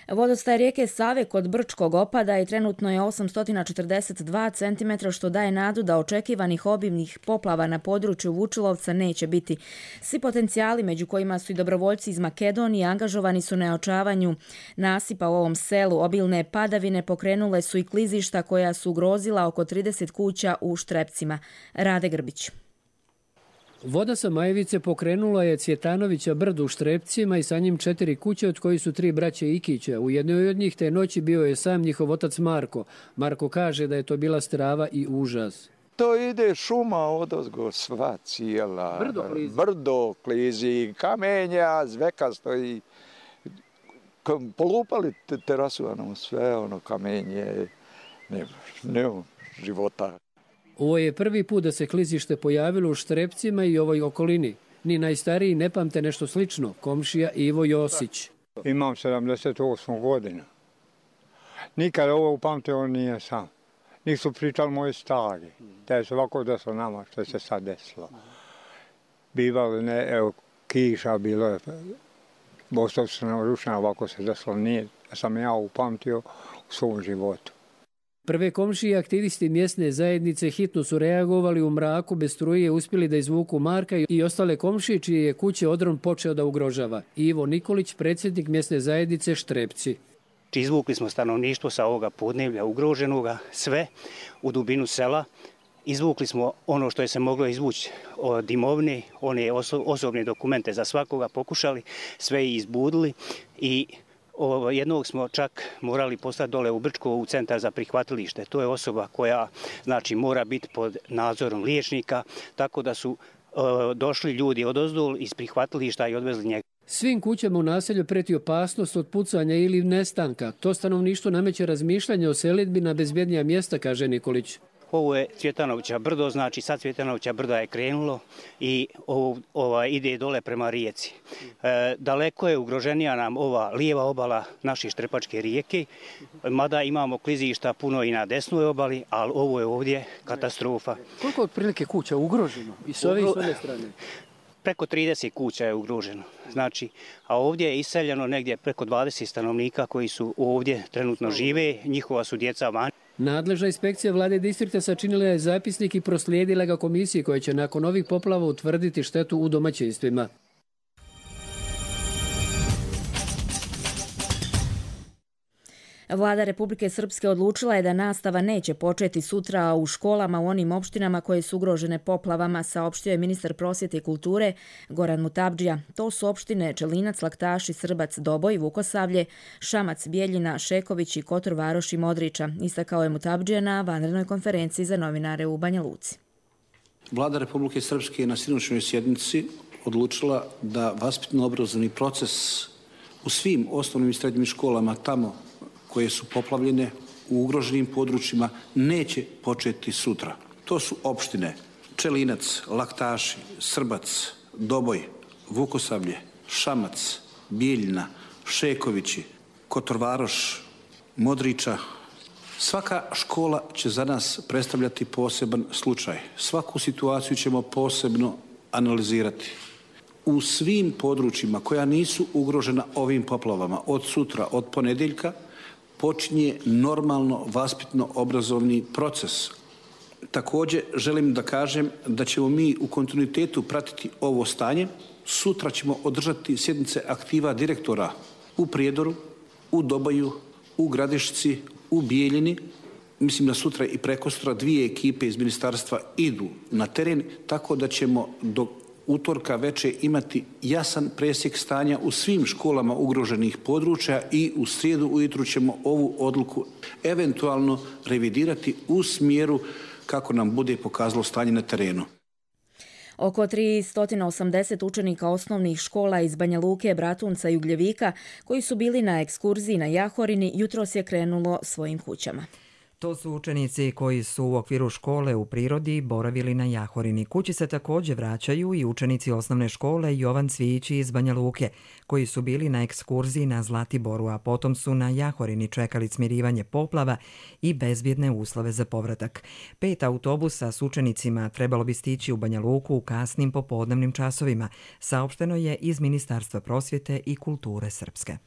Vodostaj rijeke Save kod Brčkog opada i trenutno je 842 cm, što daje nadu da očekivanih obimnih poplava na području Vučilovca neće biti. Svi potencijali, među kojima su i dobrovoljci iz Makedonije, angažovani su na očavanju nasipa u ovom selu. Obilne padavine pokrenule su i klizišta koja su ugrozila oko 30 kuća u Štrepcima. Rade Grbić. Voda sa Majevice pokrenula je Cvjetanovića brdo u Štrepcima i sa njim 4 kuće, od kojih su 3 braće Ikića. U jednoj od njih te noći bio je sam njihov otac Marko. Marko kaže da je to bila strava i užas. To ide šuma odozgo sva cijela. Brdo klizi, kamenja, zveka stoji. Polupali terasu, sve kamenje, nema života. Ovo je prvi put da se klizište pojavilo u Štrepcima i ovoj okolini. Ni najstariji ne pamte nešto slično, komšija Ivo Josić. Imam 78 godina. Nikad ovo upamtio nije sam. Nisu pričali moji stari. Da je ovako desilo nama što se sad desilo. Bivalo kiša, bilo je bostavstveno rušeno, ovako se desilo nije. Sam ja upamtio u svom životu. Prve komšije i aktivisti mjesne zajednice hitno su reagovali u mraku, bez struje uspjeli da izvuku Marka i ostale komšije čije je kuće odron počeo da ugrožava. Ivo Nikolić, predsjednik mjesne zajednice Štrepci. Izvukli smo stanovništvo sa ovoga podneblja ugroženoga, sve u dubinu sela. Izvukli smo ono što je se moglo izvući od imovine, one osobne dokumente za svakoga pokušali, sve i izbudili i jednog smo čak morali poslati dole u Brčko u centar za prihvatilište. To je osoba koja mora biti pod nadzorom liječnika, tako da su došli ljudi odozdol iz prihvatilišta i odvezli njega. Svim kućama u naselju preti opasnost od pucanja ili nestanka. To stanovništvo nameće razmišljanje o selidbi na bezbjednija mjesta, kaže Nikolić. Ovo je Cvjetanovića brdo, sad Cvjetanovića brda je krenulo i ide dole prema rijeci. Daleko je ugroženija nam ova lijeva obala naše Štrepačke rijeke, mada imamo klizišta puno i na desnoj obali, ali ovo je ovdje katastrofa. Koliko otprilike kuća ugroženo i s ove i s one strane? Preko 30 kuća je ugroženo. A ovdje je iseljeno negdje preko 20 stanovnika koji su ovdje trenutno žive, njihova su djeca van. Nadležna inspekcija vlade distrikta sačinila je zapisnik i proslijedila ga komisiji koja će nakon ovih poplava utvrditi štetu u domaćinstvima. Vlada Republike Srpske odlučila je da nastava neće početi sutra u školama u onim opštinama koje su ugrožene poplavama, saopštio je ministar prosvjete i kulture Goran Mutabdžija. To su opštine Čelinac, Laktaši, Srbac, Doboj, Vukosavlje, Šamac, Bijeljina, Šeković i Kotor Varoš i Modriča, istakao je Mutabdžija na vanrednoj konferenciji za novinare u Banja Luci. Vlada Republike Srpske je na sinoćnoj sjednici odlučila da vaspitno-obrazovni proces u svim osnovnim i srednjim školama tamo koje su poplavljene u ugroženim područjima neće početi sutra. To su opštine Čelinac, Laktaši, Srbac, Doboj, Vukosavlje, Šamac, Bijeljina, Šekovići, Kotor Varoš, Modriča. Svaka škola će za nas predstavljati poseban slučaj. Svaku situaciju ćemo posebno analizirati. U svim područjima koja nisu ugrožena ovim poplavama od sutra, od ponedjeljka, počinje normalno vaspitno-obrazovni proces. Također želim da kažem da ćemo mi u kontinuitetu pratiti ovo stanje. Sutra ćemo održati sjednice aktiva direktora u Prijedoru, u Dobaju, u Gradišci, u Bijeljini. Mislim da sutra i prekosutra 2 ekipe iz ministarstva idu na teren, tako da ćemo do utorka veče imati jasan presjek stanja u svim školama ugroženih područja i u srijedu ujutru ćemo ovu odluku eventualno revidirati u smjeru kako nam bude pokazalo stanje na terenu. Oko 380 učenika osnovnih škola iz Banja Luke, Bratunca i Ugljevika koji su bili na ekskurziji na Jahorini jutros je krenulo svojim kućama. To su učenici koji su u okviru škole u prirodi boravili na Jahorini. Kući se također vraćaju i učenici osnovne škole Jovan Cvijići iz Banja Luke, koji su bili na ekskurziji na Zlatiboru, a potom su na Jahorini čekali smirivanje poplava i bezbjedne uslove za povratak. 5 autobusa s učenicima trebalo bi stići u Banja Luku u kasnim popodnevnim časovima, saopšteno je iz Ministarstva prosvjete i kulture Srpske.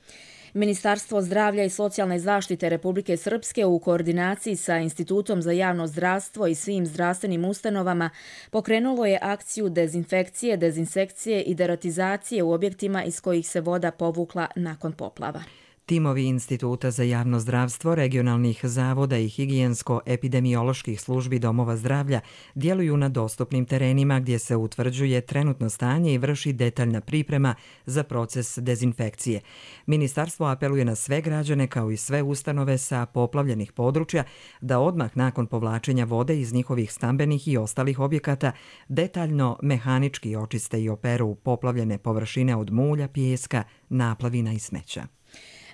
Ministarstvo zdravlja i socijalne zaštite Republike Srpske u koordinaciji sa Institutom za javno zdravstvo i svim zdravstvenim ustanovama pokrenulo je akciju dezinfekcije, dezinsekcije i deratizacije u objektima iz kojih se voda povukla nakon poplava. Timovi Instituta za javno zdravstvo, regionalnih zavoda i higijensko-epidemioloških službi domova zdravlja djeluju na dostupnim terenima gdje se utvrđuje trenutno stanje i vrši detaljna priprema za proces dezinfekcije. Ministarstvo apeluje na sve građane kao i sve ustanove sa poplavljenih područja da odmah nakon povlačenja vode iz njihovih stambenih i ostalih objekata detaljno mehanički očiste i operu poplavljene površine od mulja, pijeska, naplavina i smeća.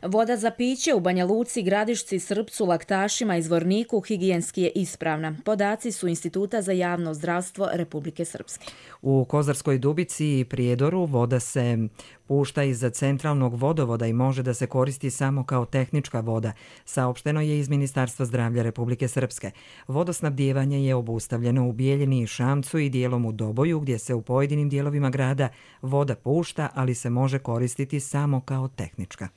Voda za piće u Banja Luci, Gradišci, Srpcu, Laktašima i Zvorniku higijenski je ispravna. Podaci su Instituta za javno zdravstvo Republike Srpske. U Kozarskoj Dubici i Prijedoru voda se pušta iz centralnog vodovoda i može da se koristi samo kao tehnička voda, saopšteno je iz Ministarstva zdravlja Republike Srpske. Vodosnabdijevanje je obustavljeno u Bijeljini i Šamcu i dijelom u Doboju, gdje se u pojedinim dijelovima grada voda pušta, ali se može koristiti samo kao tehnička.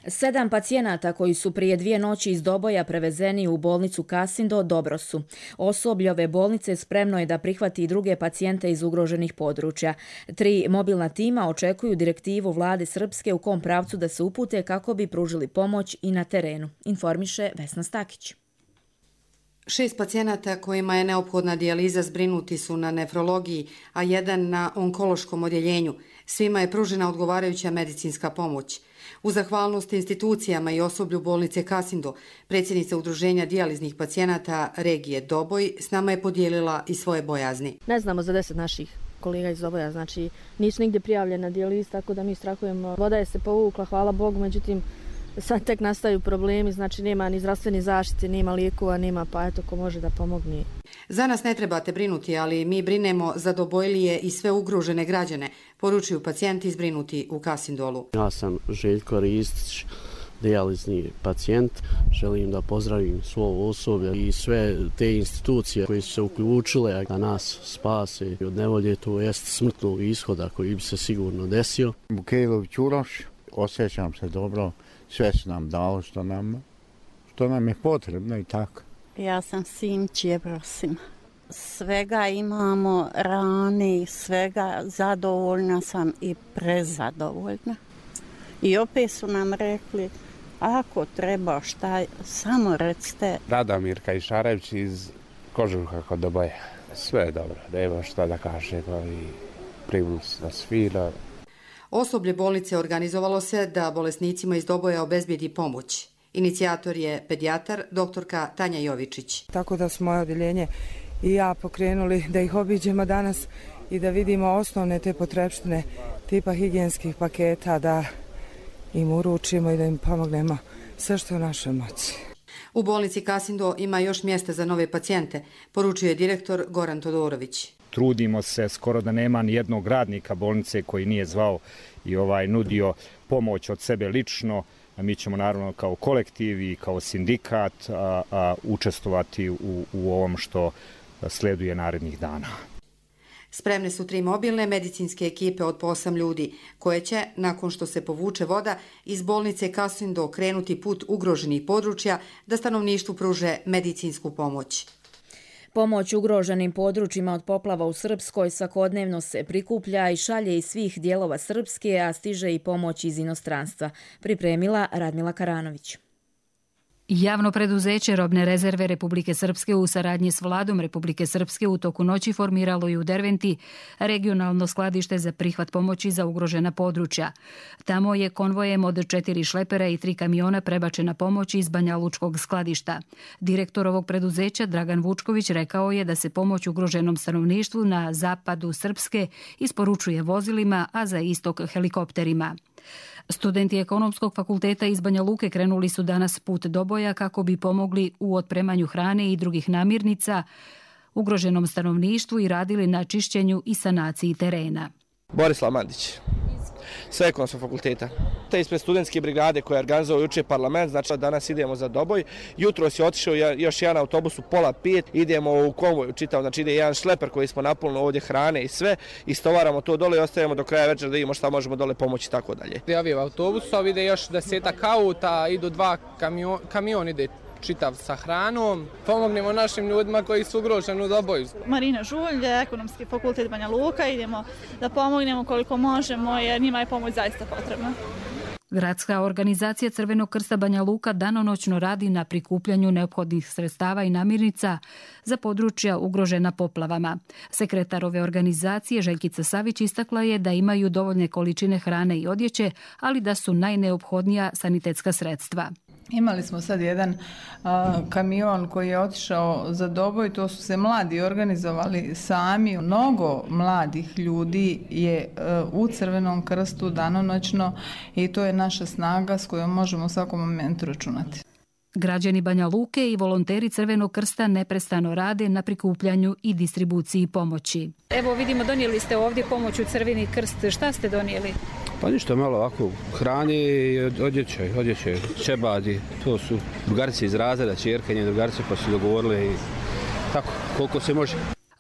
7 pacijenata koji su prije 2 noći iz Doboja prevezeni u bolnicu Kasindo dobro su. Osoblje ove bolnice spremno je da prihvati i druge pacijente iz ugroženih područja. 3 mobilna tima očekuju direktivu vlade Srpske u kom pravcu da se upute kako bi pružili pomoć i na terenu, informiše Vesna Stakić. 6 pacijenata kojima je neophodna dijaliza zbrinuti su na nefrologiji, a 1 na onkološkom odjeljenju. Svima je pružena odgovarajuća medicinska pomoć. U zahvalnost institucijama i osoblju bolnice Kasindo, predsjednica Udruženja dijaliznih pacijenata regije Doboj s nama je podijelila i svoje bojazni. Ne znamo za 10 naših kolega iz Doboja, znači nisu nigdje prijavljena dijaliz, tako da mi strahujemo. Voda je se povukla, hvala Bogu, međutim sad tek nastaju problemi, znači nema ni zdravstvene zaštite, nema lijekova, nema, pa eto ko može da pomogne. Za nas ne trebate brinuti, ali mi brinemo za Dobojlije i sve ugrožene građane, poručuju pacijenti zbrinuti u Kasindolu. Ja sam Željko Ristić, dijalizni pacijent. Želim da pozdravim svo osoblje i sve te institucije koje su se uključile da nas spase od nevolje, to jest smrtnog ishoda koji bi se sigurno desio. Bukejlović Uroš, osjećam se dobro, sve su nam dalo što nam je potrebno i tako. Ja sam Simć Jebrosim. Svega imamo, rane i svega, zadovoljna sam i prezadovoljna. I opet su nam rekli, ako treba šta, samo recite. Radomir Kajšarević iz Kožuha kod Doboja. Sve je dobro, nema šta da kažemo i primili su nas fino. Osoblje bolnice organizovalo se da bolesnicima iz Doboja obezbijedi pomoć. Inicijator je pedijatar doktorka Tanja Jovičić. Tako da smo moje odjeljenje i ja pokrenuli da ih obiđemo danas i da vidimo osnovne te potrepštine tipa higijenskih paketa, da im uručimo i da im pomognemo sve što je u našoj moći. U bolnici Kasindo ima još mjesta za nove pacijente, poručuje direktor Goran Todorović. Trudimo se, skoro da nema ni jednog radnika bolnice koji nije zvao i nudio pomoć od sebe lično. Mi ćemo naravno kao kolektiv i kao sindikat učestvovati u ovom što sleduje narednih dana. Spremne su 3 mobilne medicinske ekipe od po 8 ljudi, koje će, nakon što se povuče voda, iz bolnice Kasindo krenuti put ugroženih područja da stanovništvu pruže medicinsku pomoć. Pomoć ugroženim područjima od poplava u Srpskoj svakodnevno se prikuplja i šalje iz svih dijelova Srpske, a stiže i pomoć iz inostranstva, pripremila Radmila Karanović. Javno preduzeće Robne rezerve Republike Srpske u saradnji s vladom Republike Srpske u toku noći formiralo i u Derventi regionalno skladište za prihvat pomoći za ugrožena područja. Tamo je konvojem od 4 šlepera i 3 kamiona prebačena pomoć iz Banja Lučkog skladišta. Direktor ovog preduzeća Dragan Vučković rekao je da se pomoć ugroženom stanovništvu na zapadu Srpske isporučuje vozilima, a za istok helikopterima. Studenti Ekonomskog fakulteta iz Banja Luke krenuli su danas put Doboja kako bi pomogli u otpremanju hrane i drugih namirnica ugroženom stanovništvu i radili na čišćenju i sanaciji terena. Borislav Mandić. sa ekonomskog fakulteta. Te ispred studentske brigade koja je organizovao juče parlament, znači danas idemo za Doboj. Jutro si otišao još jedan autobus u 4:30, idemo u konvoju čitav, znači ide jedan šleper koji smo napunili ovdje hrane i sve, istovaramo to dole i ostavimo do kraja večera da vidimo šta možemo dole pomoći i tako dalje. Javio autobusa, ide još 10 auta, idu 2 kamion ide čitav sa hranom. Pomognemo našim ljudima koji su ugroženi u Doboju. Marina Žulj, Ekonomski fakultet Banja Luka, idemo da pomognemo koliko možemo jer njima je pomoć zaista potrebna. Gradska organizacija Crvenog krsta Banja Luka danonoćno radi na prikupljanju neophodnih sredstava i namirnica za područja ugrožena poplavama. Sekretar ove organizacije Željkica Savić istakla je da imaju dovoljne količine hrane i odjeće, ali da su najneophodnija sanitetska sredstva. Imali smo sad jedan kamion koji je otišao za Doboj, to su se mladi organizovali sami. Mnogo mladih ljudi je u Crvenom krstu danonoćno i to je naša snaga s kojom možemo u svakom momentu računati. Građani Banja Luke i volonteri Crvenog krsta neprestano rade na prikupljanju i distribuciji pomoći. Evo vidimo, donijeli ste ovdje pomoć u Crveni krst. Šta ste donijeli? Pa ništa, malo ovako hrane i odjeće, čebadi. To su drugarice iz razreda, ćerke, njene drugarice pa su dogovorile i tako, koliko se može.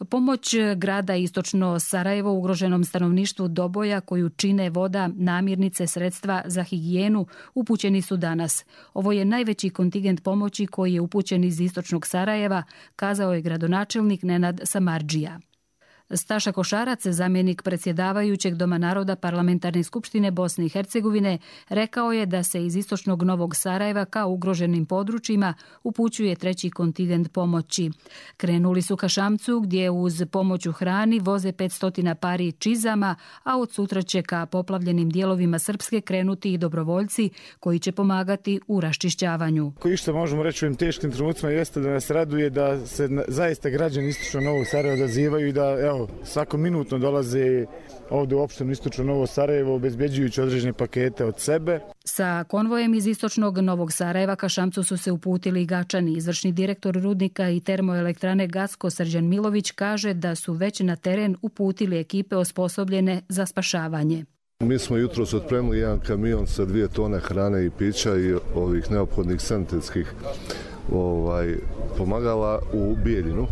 Pomoć grada Istočno Sarajevo ugroženom stanovništvu Doboja koju čine voda, namirnice, sredstva za higijenu upućeni su danas. Ovo je najveći kontingent pomoći koji je upućen iz Istočnog Sarajeva, kazao je gradonačelnik Nenad Samardžija. Staša Košarac, zamjenik predsjedavajućeg Doma naroda Parlamentarne skupštine Bosne i Hercegovine, rekao je da se iz istočnog Novog Sarajeva ka ugroženim područjima upućuje treći kontingent pomoći. Krenuli su ka Šamcu gdje uz pomoć u hrani voze 500 pari čizama, a od sutra će ka poplavljenim dijelovima Srpske krenuti i dobrovoljci koji će pomagati u raščišćavanju. Koji što možemo reći u ovim teškim trenucima jeste da nas raduje da se zaista građani istočnog Novog Sarajeva odazivaju i da svako minutno dolaze ovdje u opštinu Istočno Novo Sarajevo obezbeđujući određene pakete od sebe. Sa konvojem iz Istočnog Novog Sarajeva ka Šamcu su se uputili i Gačani. Izvršni direktor rudnika i termoelektrane Gasko Srđan Milović kaže da su već na teren uputili ekipe osposobljene za spašavanje. Mi smo jutros otpremili jedan kamion sa 2 tone hrane i pića i ovih neophodnih sanitetskih pomagala u Bijeljinu.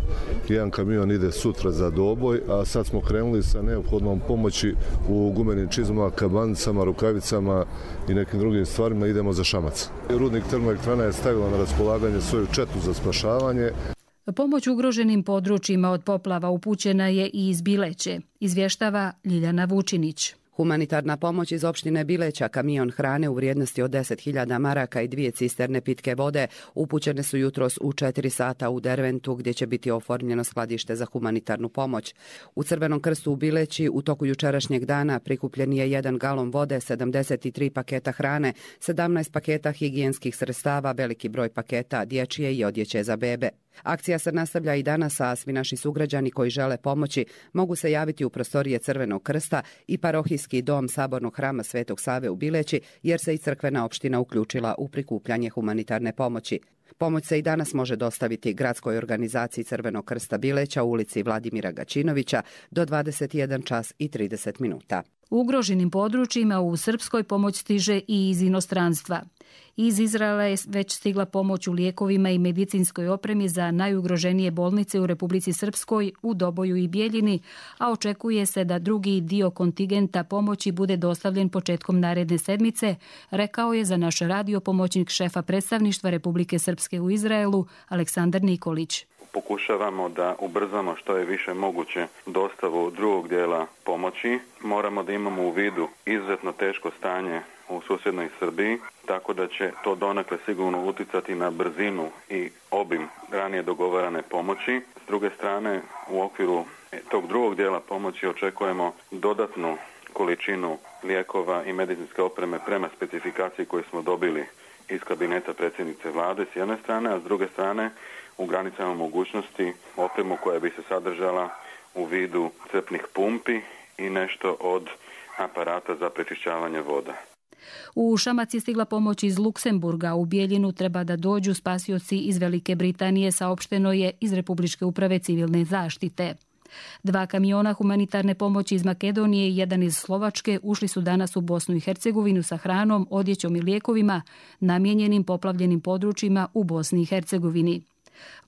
Jedan kamion ide sutra za Doboj, a sad smo krenuli sa neophodnom pomoći u gumenim čizmama, kabanicama, rukavicama i nekim drugim stvarima. Idemo za Šamac. Rudnik termoelektrana je stavila na raspolaganje svoju četu za spašavanje. Pomoć ugroženim područjima od poplava upućena je i iz Bileće, izvještava Ljiljana Vučinić. Humanitarna pomoć iz opštine Bileća, kamion hrane u vrijednosti od 10.000 maraka i 2 cisterne pitke vode upućene su jutros u 4 sata u Derventu gdje će biti oformljeno skladište za humanitarnu pomoć. U Crvenom krstu u Bileći u toku jučerašnjeg dana prikupljen je 1 galon vode, 73 paketa hrane, 17 paketa higijenskih sredstava, veliki broj paketa dječje i odjeće za bebe. Akcija se nastavlja i danas, a svi naši sugrađani koji žele pomoći mogu se javiti u prostorije Crvenog krsta i parohijski dom Sabornog hrama Svetog Save u Bileći, jer se i crkvena opština uključila u prikupljanje humanitarne pomoći. Pomoć se i danas može dostaviti gradskoj organizaciji Crvenog krsta Bileća u ulici Vladimira Gačinovića do 21 čas i 30 minuta. U ugroženim područjima u Srpskoj pomoć stiže i iz inostranstva. Iz Izraela je već stigla pomoć u lijekovima i medicinskoj opremi za najugroženije bolnice u Republici Srpskoj, u Doboju i Bijeljini, a očekuje se da drugi dio kontingenta pomoći bude dostavljen početkom naredne sedmice, rekao je za naš radio pomoćnik šefa predstavništva Republike Srpske u Izraelu Aleksandar Nikolić. Pokušavamo da ubrzamo što je više moguće dostavu drugog dijela pomoći. Moramo da imamo u vidu izuzetno teško stanje u susjednoj Srbiji, tako da će to donekle sigurno uticati na brzinu i obim ranije dogovarane pomoći. S druge strane, u okviru tog drugog dijela pomoći očekujemo dodatnu količinu lijekova i medicinske opreme prema specifikaciji koju smo dobili iz kabineta predsjednice vlade s jedne strane, a s druge strane u granicama mogućnosti opremu koja bi se sadržala u vidu crpnih pumpi i nešto od aparata za prečišćavanje voda. U Šamac je stigla pomoć iz Luksemburga. U Bijeljinu treba da dođu spasioci iz Velike Britanije, saopšteno je iz Republičke uprave civilne zaštite. 2 kamiona humanitarne pomoći iz Makedonije i jedan iz Slovačke ušli su danas u Bosnu i Hercegovinu sa hranom, odjećom i lijekovima namijenjenim poplavljenim područjima u Bosni i Hercegovini.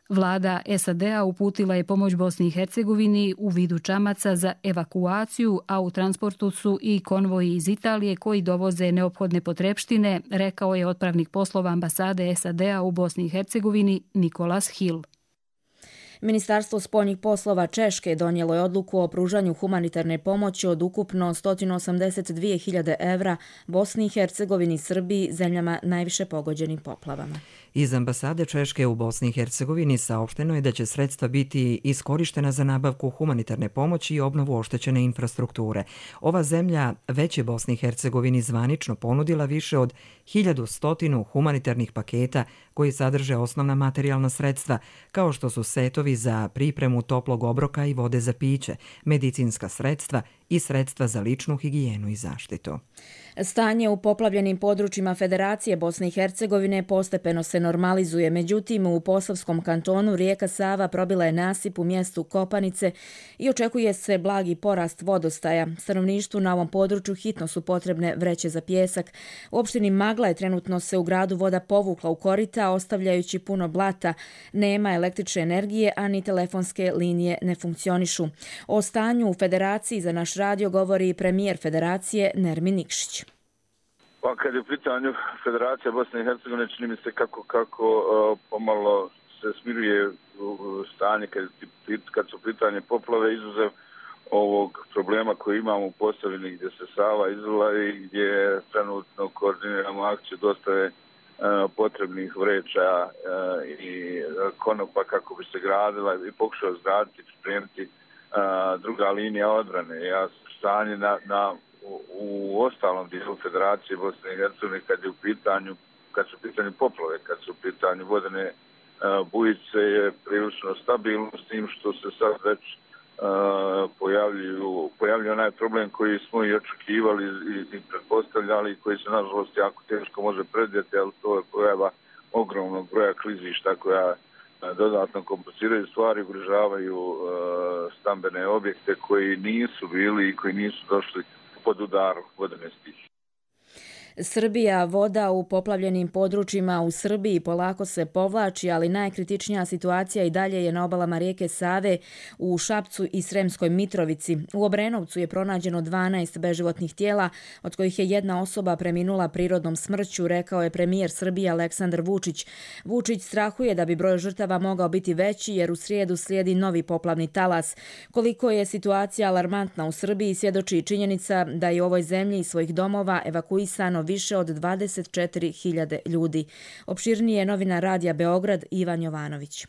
Vlada SAD-a uputila je pomoć Bosni i Hercegovini u vidu čamaca za evakuaciju, a u transportu su i konvoji iz Italije koji dovoze neophodne potrepštine, rekao je otpravnik poslova ambasade SAD-a u Bosni i Hercegovini Nikolas Hill. Ministarstvo spoljnih poslova Češke donijelo je odluku o pružanju humanitarne pomoći od ukupno 182.000 evra Bosni i Hercegovini i Srbiji, zemljama najviše pogođenim poplavama. Iz ambasade Češke u Bosni i Hercegovini saopšteno je da će sredstva biti iskorištena za nabavku humanitarne pomoći i obnovu oštećene infrastrukture. Ova zemlja već je Bosni i Hercegovini zvanično ponudila više od 1100 humanitarnih paketa koji sadrže osnovna materijalna sredstva, kao što su setovi za pripremu toplog obroka i vode za piće, medicinska sredstva i sredstva za ličnu higijenu i zaštitu. Stanje u poplavljenim područjima Federacije Bosne i Hercegovine postepeno se normalizuje, međutim u Posavskom kantonu rijeka Sava probila je nasip u mjestu Kopanice i očekuje se blagi porast vodostaja. Stanovništvu na ovom području hitno su potrebne vreće za pijesak. U opštini Magla je trenutno se u gradu voda povukla u korita, ostavljajući puno blata. Nema električne energije, a ni telefonske linije ne funkcionišu. O stanju u Federaciji za naš radio govori premijer Federacije Nermin Nikšić. Pa kad je u pitanju Federacija Bosne i Hercegovine, čini mi se kako pomalo se smiruje stanje kad su pitanje poplave, izuzev ovog problema koji imamo u Posavini gdje se Sava izlila i gdje trenutno koordiniramo akciju dostave potrebnih vreća i konopa kako bi se gradila i pokušao izgraditi, pripremiti druga linija odbrane. Stanje u ostalom dijelu Federacije Bosne i Hercegovine kad su u pitanju poplave, kad su u pitanju vodene bujice je prilično stabilno, s tim što se sad već pojavljuje onaj problem koji smo i očekivali i pretpostavljali, koji se nažalost jako teško može predvidjeti, ali to je pojava ogromnog broja klizišta koja dodatno kompliciraju stvari, ugrožavaju stambene objekte koji nisu bili i koji nisu došli pod udar vodene stihije. Srbija, voda u poplavljenim područjima u Srbiji polako se povlači, ali najkritičnija situacija i dalje je na obalama rijeke Save u Šapcu i Sremskoj Mitrovici. U Obrenovcu je pronađeno 12 beživotnih tijela, od kojih je jedna osoba preminula prirodnom smrću, rekao je premijer Srbije Aleksandar Vučić. Vučić strahuje da bi broj žrtava mogao biti veći jer u srijedu slijedi novi poplavni talas. Koliko je situacija alarmantna u Srbiji svjedoči činjenica da je u ovoj zemlji iz svojih domova evakuisano više od 24.000 ljudi. Opširnije novinar Radija Beograd Ivan Jovanović.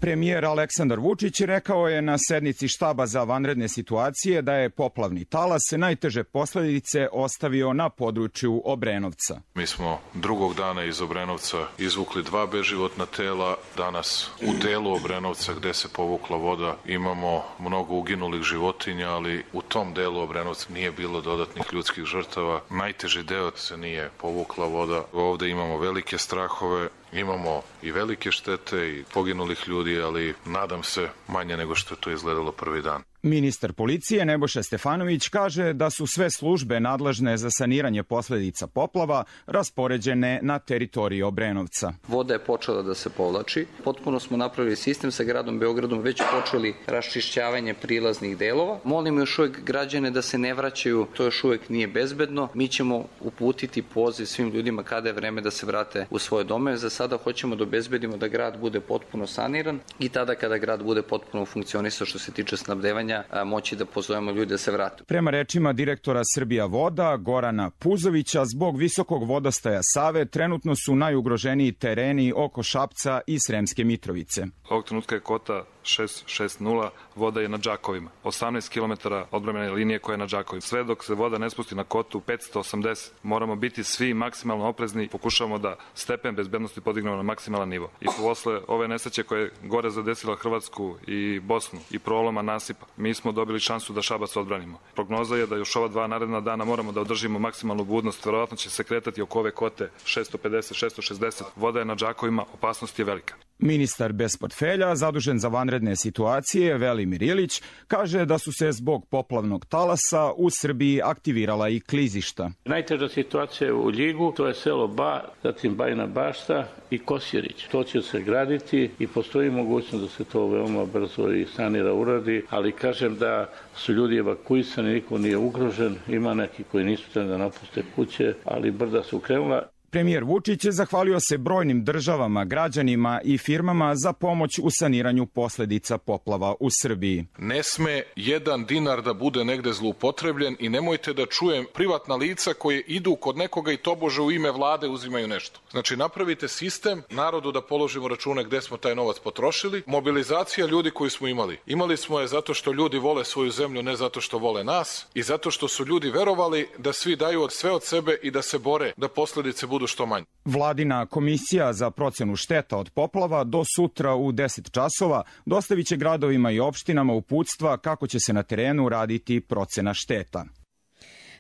Premijer Aleksandar Vučić rekao je na sednici štaba za vanredne situacije da je poplavni talas najteže posljedice ostavio na području Obrenovca. Mi smo drugog dana iz Obrenovca izvukli 2 beživotna tela. Danas u delu Obrenovca gdje se povukla voda imamo mnogo uginulih životinja, ali u tom delu Obrenovca nije bilo dodatnih ljudskih žrtava. Najteži deo se nije povukla voda. Ovdje imamo velike strahove. Imamo i velike štete i poginulih ljudi, ali nadam se manje nego što je to izgledalo prvi dan. Ministar policije Nebojša Stefanović kaže da su sve službe nadležne za saniranje posljedica poplava raspoređene na teritoriji Obrenovca. Voda je počela da se povlači. Potpuno smo napravili sistem sa gradom Beogradom, već počeli raščišćavanje prilaznih delova. Molim još uvijek građane da se ne vraćaju, to još uvijek nije bezbedno. Mi ćemo uputiti poziv svim ljudima kada je vreme da se vrate u svoje domove. Za sada hoćemo da obezbedimo da grad bude potpuno saniran i tada kada grad bude potpuno funkcionisao što se tiče snabdevanja, moći da pozovemo ljude da se vrate. Prema rečima direktora Srbija voda Gorana Puzovića, zbog visokog vodostaja Save trenutno su najugroženiji tereni oko Šapca i Sremske Mitrovice. Ovog trenutka je kota 660, voda je na Đakovima. 18 km odbrambene linije koja je na Đakovima. Sve dok se voda ne spusti na kotu 580, moramo biti svi maksimalno oprezni. Pokušavamo da stepen bezbednosti podignemo na maksimalan nivo. I posle ove nesreće koje je gore zadesila Hrvatsku i Bosnu i proloma nasipa, mi smo dobili šansu da Šabac odbranimo. Prognoza je da još ova 2 naredna dana moramo da održimo maksimalnu budnost. Verovatno će se kretati oko ove kote 650, 660. Voda je na Đakovima, opasnost je velika. Ministar bez portfelja, zadužen za vanredne situacije, Velimir Ilić, kaže da su se zbog poplavnog talasa u Srbiji aktivirala i klizišta. Najteža situacija u Ljigu, to je selo Ba, zatim Bajina Bašta i Kosjerić. To će se graditi i postoji mogućnost da se to veoma brzo i sanira, uradi, ali kažem da su ljudi evakuisani, niko nije ugrožen, ima neki koji nisu trebali da napuste kuće, ali brda su krenula. Premijer Vučić je zahvalio se brojnim državama, građanima i firmama za pomoć u saniranju posledica poplava u Srbiji. Ne sme jedan dinar da bude negde zloupotrebljen i nemojte da čujem privatna lica koje idu kod nekoga i tobože u ime vlade uzimaju nešto. Znači napravite sistem, narodu da položimo račune gde smo taj novac potrošili, mobilizacija ljudi koji smo imali. Imali smo je zato što ljudi vole svoju zemlju, ne zato što vole nas i zato što su ljudi verovali da svi daju sve od sebe i da se bore da posledice budu što manje. Vladina komisija za procenu šteta od poplava do sutra u 10 časova dostavit će gradovima i opštinama uputstva kako će se na terenu raditi procena šteta.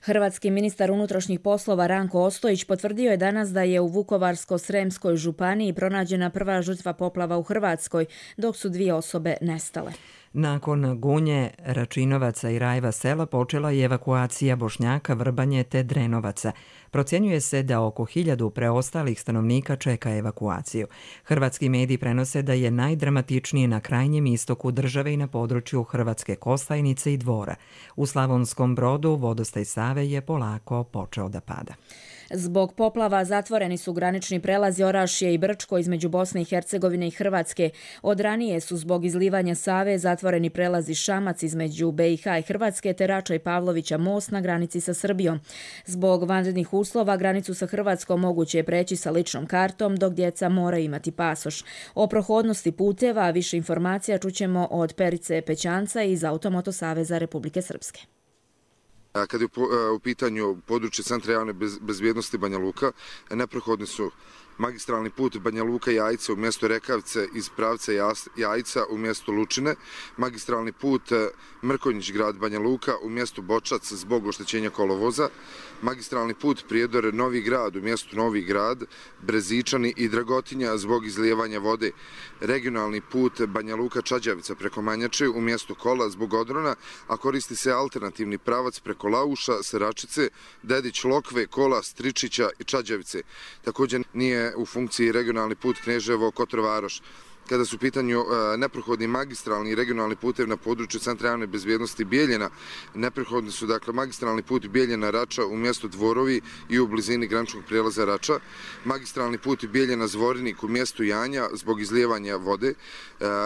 Hrvatski ministar unutrašnjih poslova Ranko Ostojić potvrdio je danas da je u Vukovarsko-sremskoj županiji pronađena prva žrtva poplava u Hrvatskoj, dok su 2 osobe nestale. Nakon Gunje, Račinovaca i Rajva sela počela je evakuacija Bošnjaka, Vrbanje te Drenovaca. Procjenjuje se da oko 1000 preostalih stanovnika čeka evakuaciju. Hrvatski mediji prenose da je najdramatičnije na krajnjem istoku države i na području Hrvatske Kostajnice i Dvora. U Slavonskom Brodu vodostaj Save je polako počeo da pada. Zbog poplava zatvoreni su granični prelazi Orašje i Brčko između Bosne i Hercegovine i Hrvatske. Od ranije su zbog izlivanja Save zatvoreni prelazi Šamac između BiH i Hrvatske te Rača i Pavlovića most na granici sa Srbijom. Zbog vanrednih uslova granicu sa Hrvatskom moguće je preći sa ličnom kartom, dok djeca moraju imati pasoš. O prohodnosti puteva više informacija čućemo od Perice Pećanca iz Automoto Saveza Republike Srpske. Kad je u pitanju područje Centra javne bezbjednosti Banja Luka, neprohodni su magistralni put Banja Luka-Jajce u mjestu Rekavce iz pravca Jajca u mjestu Lučine, magistralni put Mrkonjić grad Banja Luka u mjestu Bočac zbog oštećenja kolovoza, magistralni put Prijedor Novi grad u mjestu Novi grad, Brezičani i Dragotinja zbog izlijevanja vode, regionalni put Banja Luka-Čađavica preko Manjače u mjestu Kola zbog odrona, a koristi se alternativni pravac preko Lauša, Seračice, Dedić, Lokve, Kola, Stričića i Čađavice. Također nije u funkciji regionalni put Kneževo-Kotor-Varoš. Kada su u pitanju neprohodni magistralni i regionalni putevi na području Centra javne bezbjednosti Bijeljina, neprohodni su dakle magistralni put Bijeljina-Rača u mjestu Dvorovi i u blizini graničnog prijelaza Rača, magistralni put Bijeljina-Zvorinik u mjestu Janja zbog izlijevanja vode,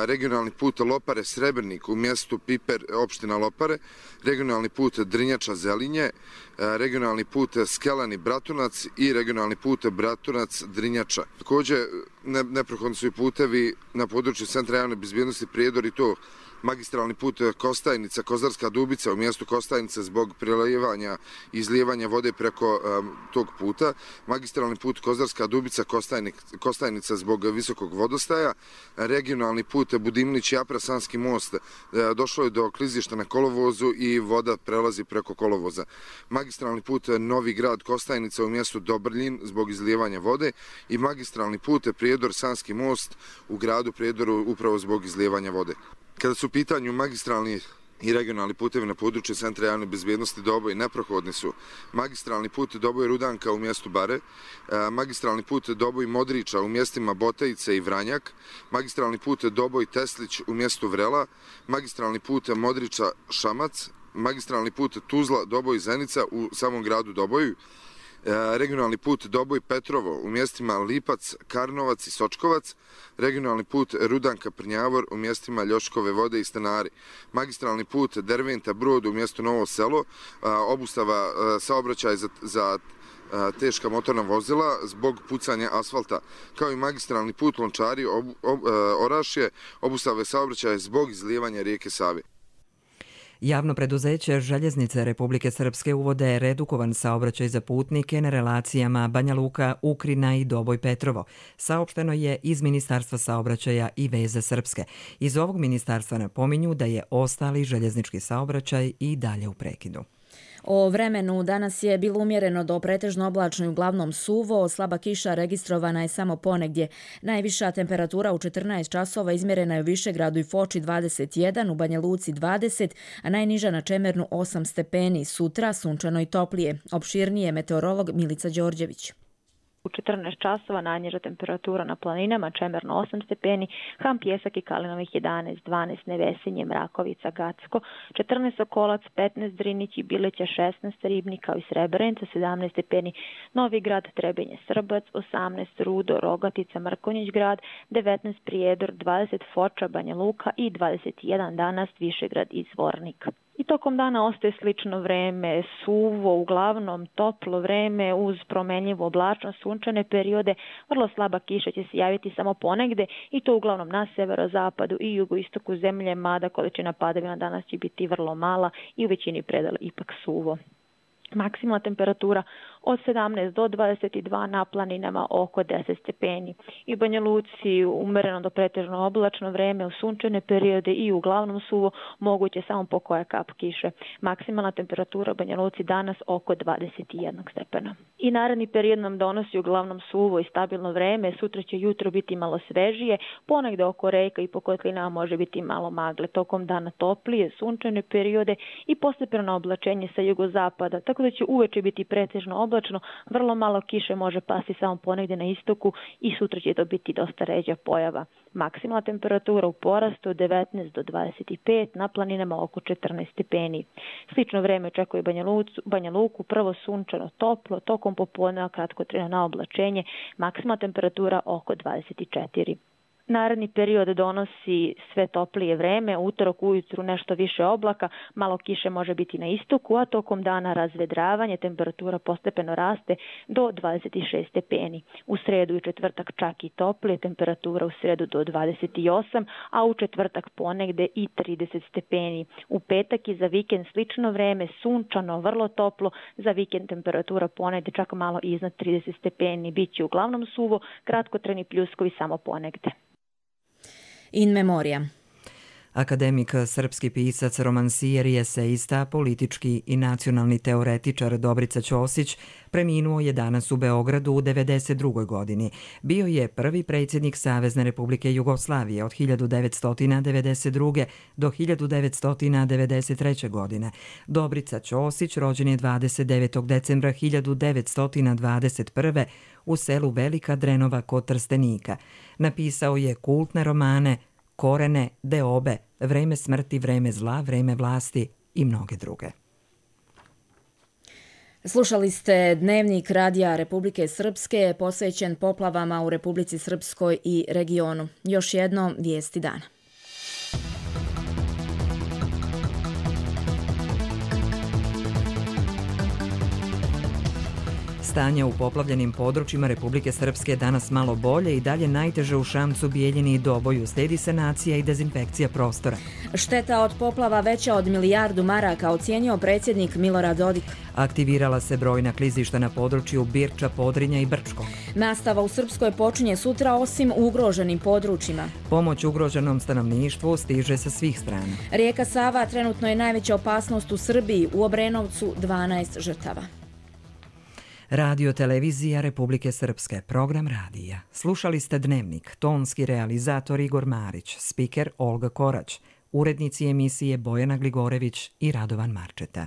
regionalni put Lopare-Srebrnik u mjestu Piper, opština Lopare, regionalni put Drinjača-Zelinje, regionalni put Skelani-Bratunac i regionalni put Bratunac-Drinjača. Također neprohodni su i putevi na području Centra javne bezbjednosti Prijedor i to magistralni put Kostajnica, Kozarska Dubica u mjestu Kostajnica zbog prelijevanja i izlijevanja vode preko tog puta, magistralni put Kozarska Dubica, Kostajnica zbog visokog vodostaja, regionalni put Budimlić-Japra, Sanski most, došlo je do klizišta na kolovozu i voda prelazi preko kolovoza. Magistralni put Novi grad Kostajnica u mjestu Dobrljin zbog izlijevanja vode i magistralni put Prijedor, Sanski most u gradu Prijedoru upravo zbog izlijevanja vode. Kada su u pitanju magistralni i regionalni putevi na području Centra javne bezbjednosti Doboj, neprohodni su magistralni put Doboj-Rudanka u mjestu Bare, magistralni put Doboj-Modriča u mjestima Botajice i Vranjak, magistralni put Doboj-Teslić u mjestu Vrela, magistralni put Modriča-Šamac, magistralni put Tuzla-Doboj-Zenica u samom gradu Doboju, regionalni put Doboj-Petrovo u mjestima Lipac, Karnovac i Sočkovac, regionalni put Rudanka-Prnjavor u mjestima Ljoškove vode i Stanari, magistralni put Derventa-Brod u mjestu Novo selo, obustava saobraćaja za teška motorna vozila zbog pucanja asfalta, kao i magistralni put Lončari Orašje, obustave saobraćaja zbog izlijevanja rijeke Save. Javno preduzeće Željeznice Republike Srpske uvode redukovan saobraćaj za putnike na relacijama Banja Luka, Ukrina i Doboj Petrovo. Saopšteno je iz Ministarstva saobraćaja i veze Srpske. Iz ovog ministarstva napominju da je ostali željeznički saobraćaj i dalje u prekidu. O vremenu danas je bilo umjereno do pretežno oblačno i uglavnom suvo, slaba kiša registrovana je samo ponegdje. Najviša temperatura u 14 časova izmjerena je u Višegradu i Foči 21, u Banja Luci 20, a najniža na Čemernu 8 stepeni. Sutra sunčano i toplije. Opširnije meteorolog Milica Đorđević. U 14 časova najniža temperatura na planinama Čemerno 8 stepeni, Ham, Pjesak i Kalinovih 11, 12 Nevesinje, Mrakovica, Gacko, 14 Sokolac, 15 Drinić i Bileća, 16 Ribnik kao i Srebrenica, 17 stepeni Novi Grad, Trebinje, Srbac, 18 Rudo, Rogatica, Mrkonjić grad, 19 Prijedor, 20 Foča, Banja Luka i 21 danas Višegrad i Zvornik. I tokom dana ostaje slično vreme, suvo, uglavnom toplo vreme uz promenljivo oblačno sunčane periode. Vrlo slaba kiša će se javiti samo ponegde i to uglavnom na severozapadu i jugoistoku zemlje, mada količina padavina danas će biti vrlo mala i u većini predela ipak suvo. Maksimalna temperatura od 17 do 22, na planinama oko 10 stepeni. I u Banja Luci umereno do pretežno oblačno vreme, u sunčane periode i uglavnom suvo, moguće samo po koja kap kiše. Maksimalna temperatura u Banja Luci danas oko 21 stepena. I naredni period nam donosi uglavnom suvo i stabilno vreme. Sutra će jutro biti malo svežije, ponegde oko reka i po kotlinama može biti malo magle. Tokom dana toplije, sunčane periode i postepeno oblačenje sa jugozapada, tako da će uveče biti pretežno oblačno, vrlo malo kiše može pasti samo ponegde na istoku i sutra će to biti dosta ređa pojava. Maksimalna temperatura u porastu od 19 do 25, na planinama oko 14 stepeni. Slično vreme očekuje Banja Luku, prvo sunčano toplo, tokom popodneva kratkotrajno na oblačenje, maksimalna temperatura oko 24. Naredni period donosi sve toplije vreme, utorak ujutru nešto više oblaka, malo kiše može biti na istoku, a tokom dana razvedravanje, temperatura postepeno raste do 26 stepeni. U sredu i četvrtak čak i toplije, temperatura u sredu do 28, a u četvrtak ponegde i 30 stepeni. U petak i za vikend slično vreme, sunčano, vrlo toplo, za vikend temperatura ponegde čak malo iznad 30 stepeni, biće uglavnom suvo, kratkotrajni pljuskovi samo ponegde. In memoria. Akademik, srpski pisac, romansijer i esejista, politički i nacionalni teoretičar Dobrica Ćosić preminuo je danas u Beogradu u 92. godini. Bio je prvi predsjednik Savezne Republike Jugoslavije od 1992. do 1993. godine. Dobrica Ćosić rođen je 29. decembra 1921. u selu Velika Drenova kod Trstenika. Napisao je kultne romane Korene, Deobe, Vreme smrti, Vreme zla, Vreme vlasti i mnoge druge. Slušali ste Dnevnik Radija Republike Srpske posvećen poplavama u Republici Srpskoj i regionu. Još jedno vijesti dana. Stanje u poplavljenim područjima Republike Srpske danas malo bolje i dalje najteže u Šamcu, Bijeljini i Doboju. Slijedi sanacija i dezinfekcija prostora. Šteta od poplava veća od milijardu maraka, ocijenio predsjednik Milorad Dodik. Aktivirala se brojna klizišta na području Birča, Podrinja i Brčkog. Nastava u Srpskoj počinje sutra osim u ugroženim područjima. Pomoć ugroženom stanovništvu stiže sa svih strana. Rijeka Sava trenutno je najveća opasnost u Srbiji, u Obrenovcu 12 žrtava. Radio televizija Republike Srpske, program radija. Slušali ste Dnevnik, tonski realizator Igor Marić, spiker Olga Korać, urednici emisije Bojana Gligorević i Radovan Marčeta.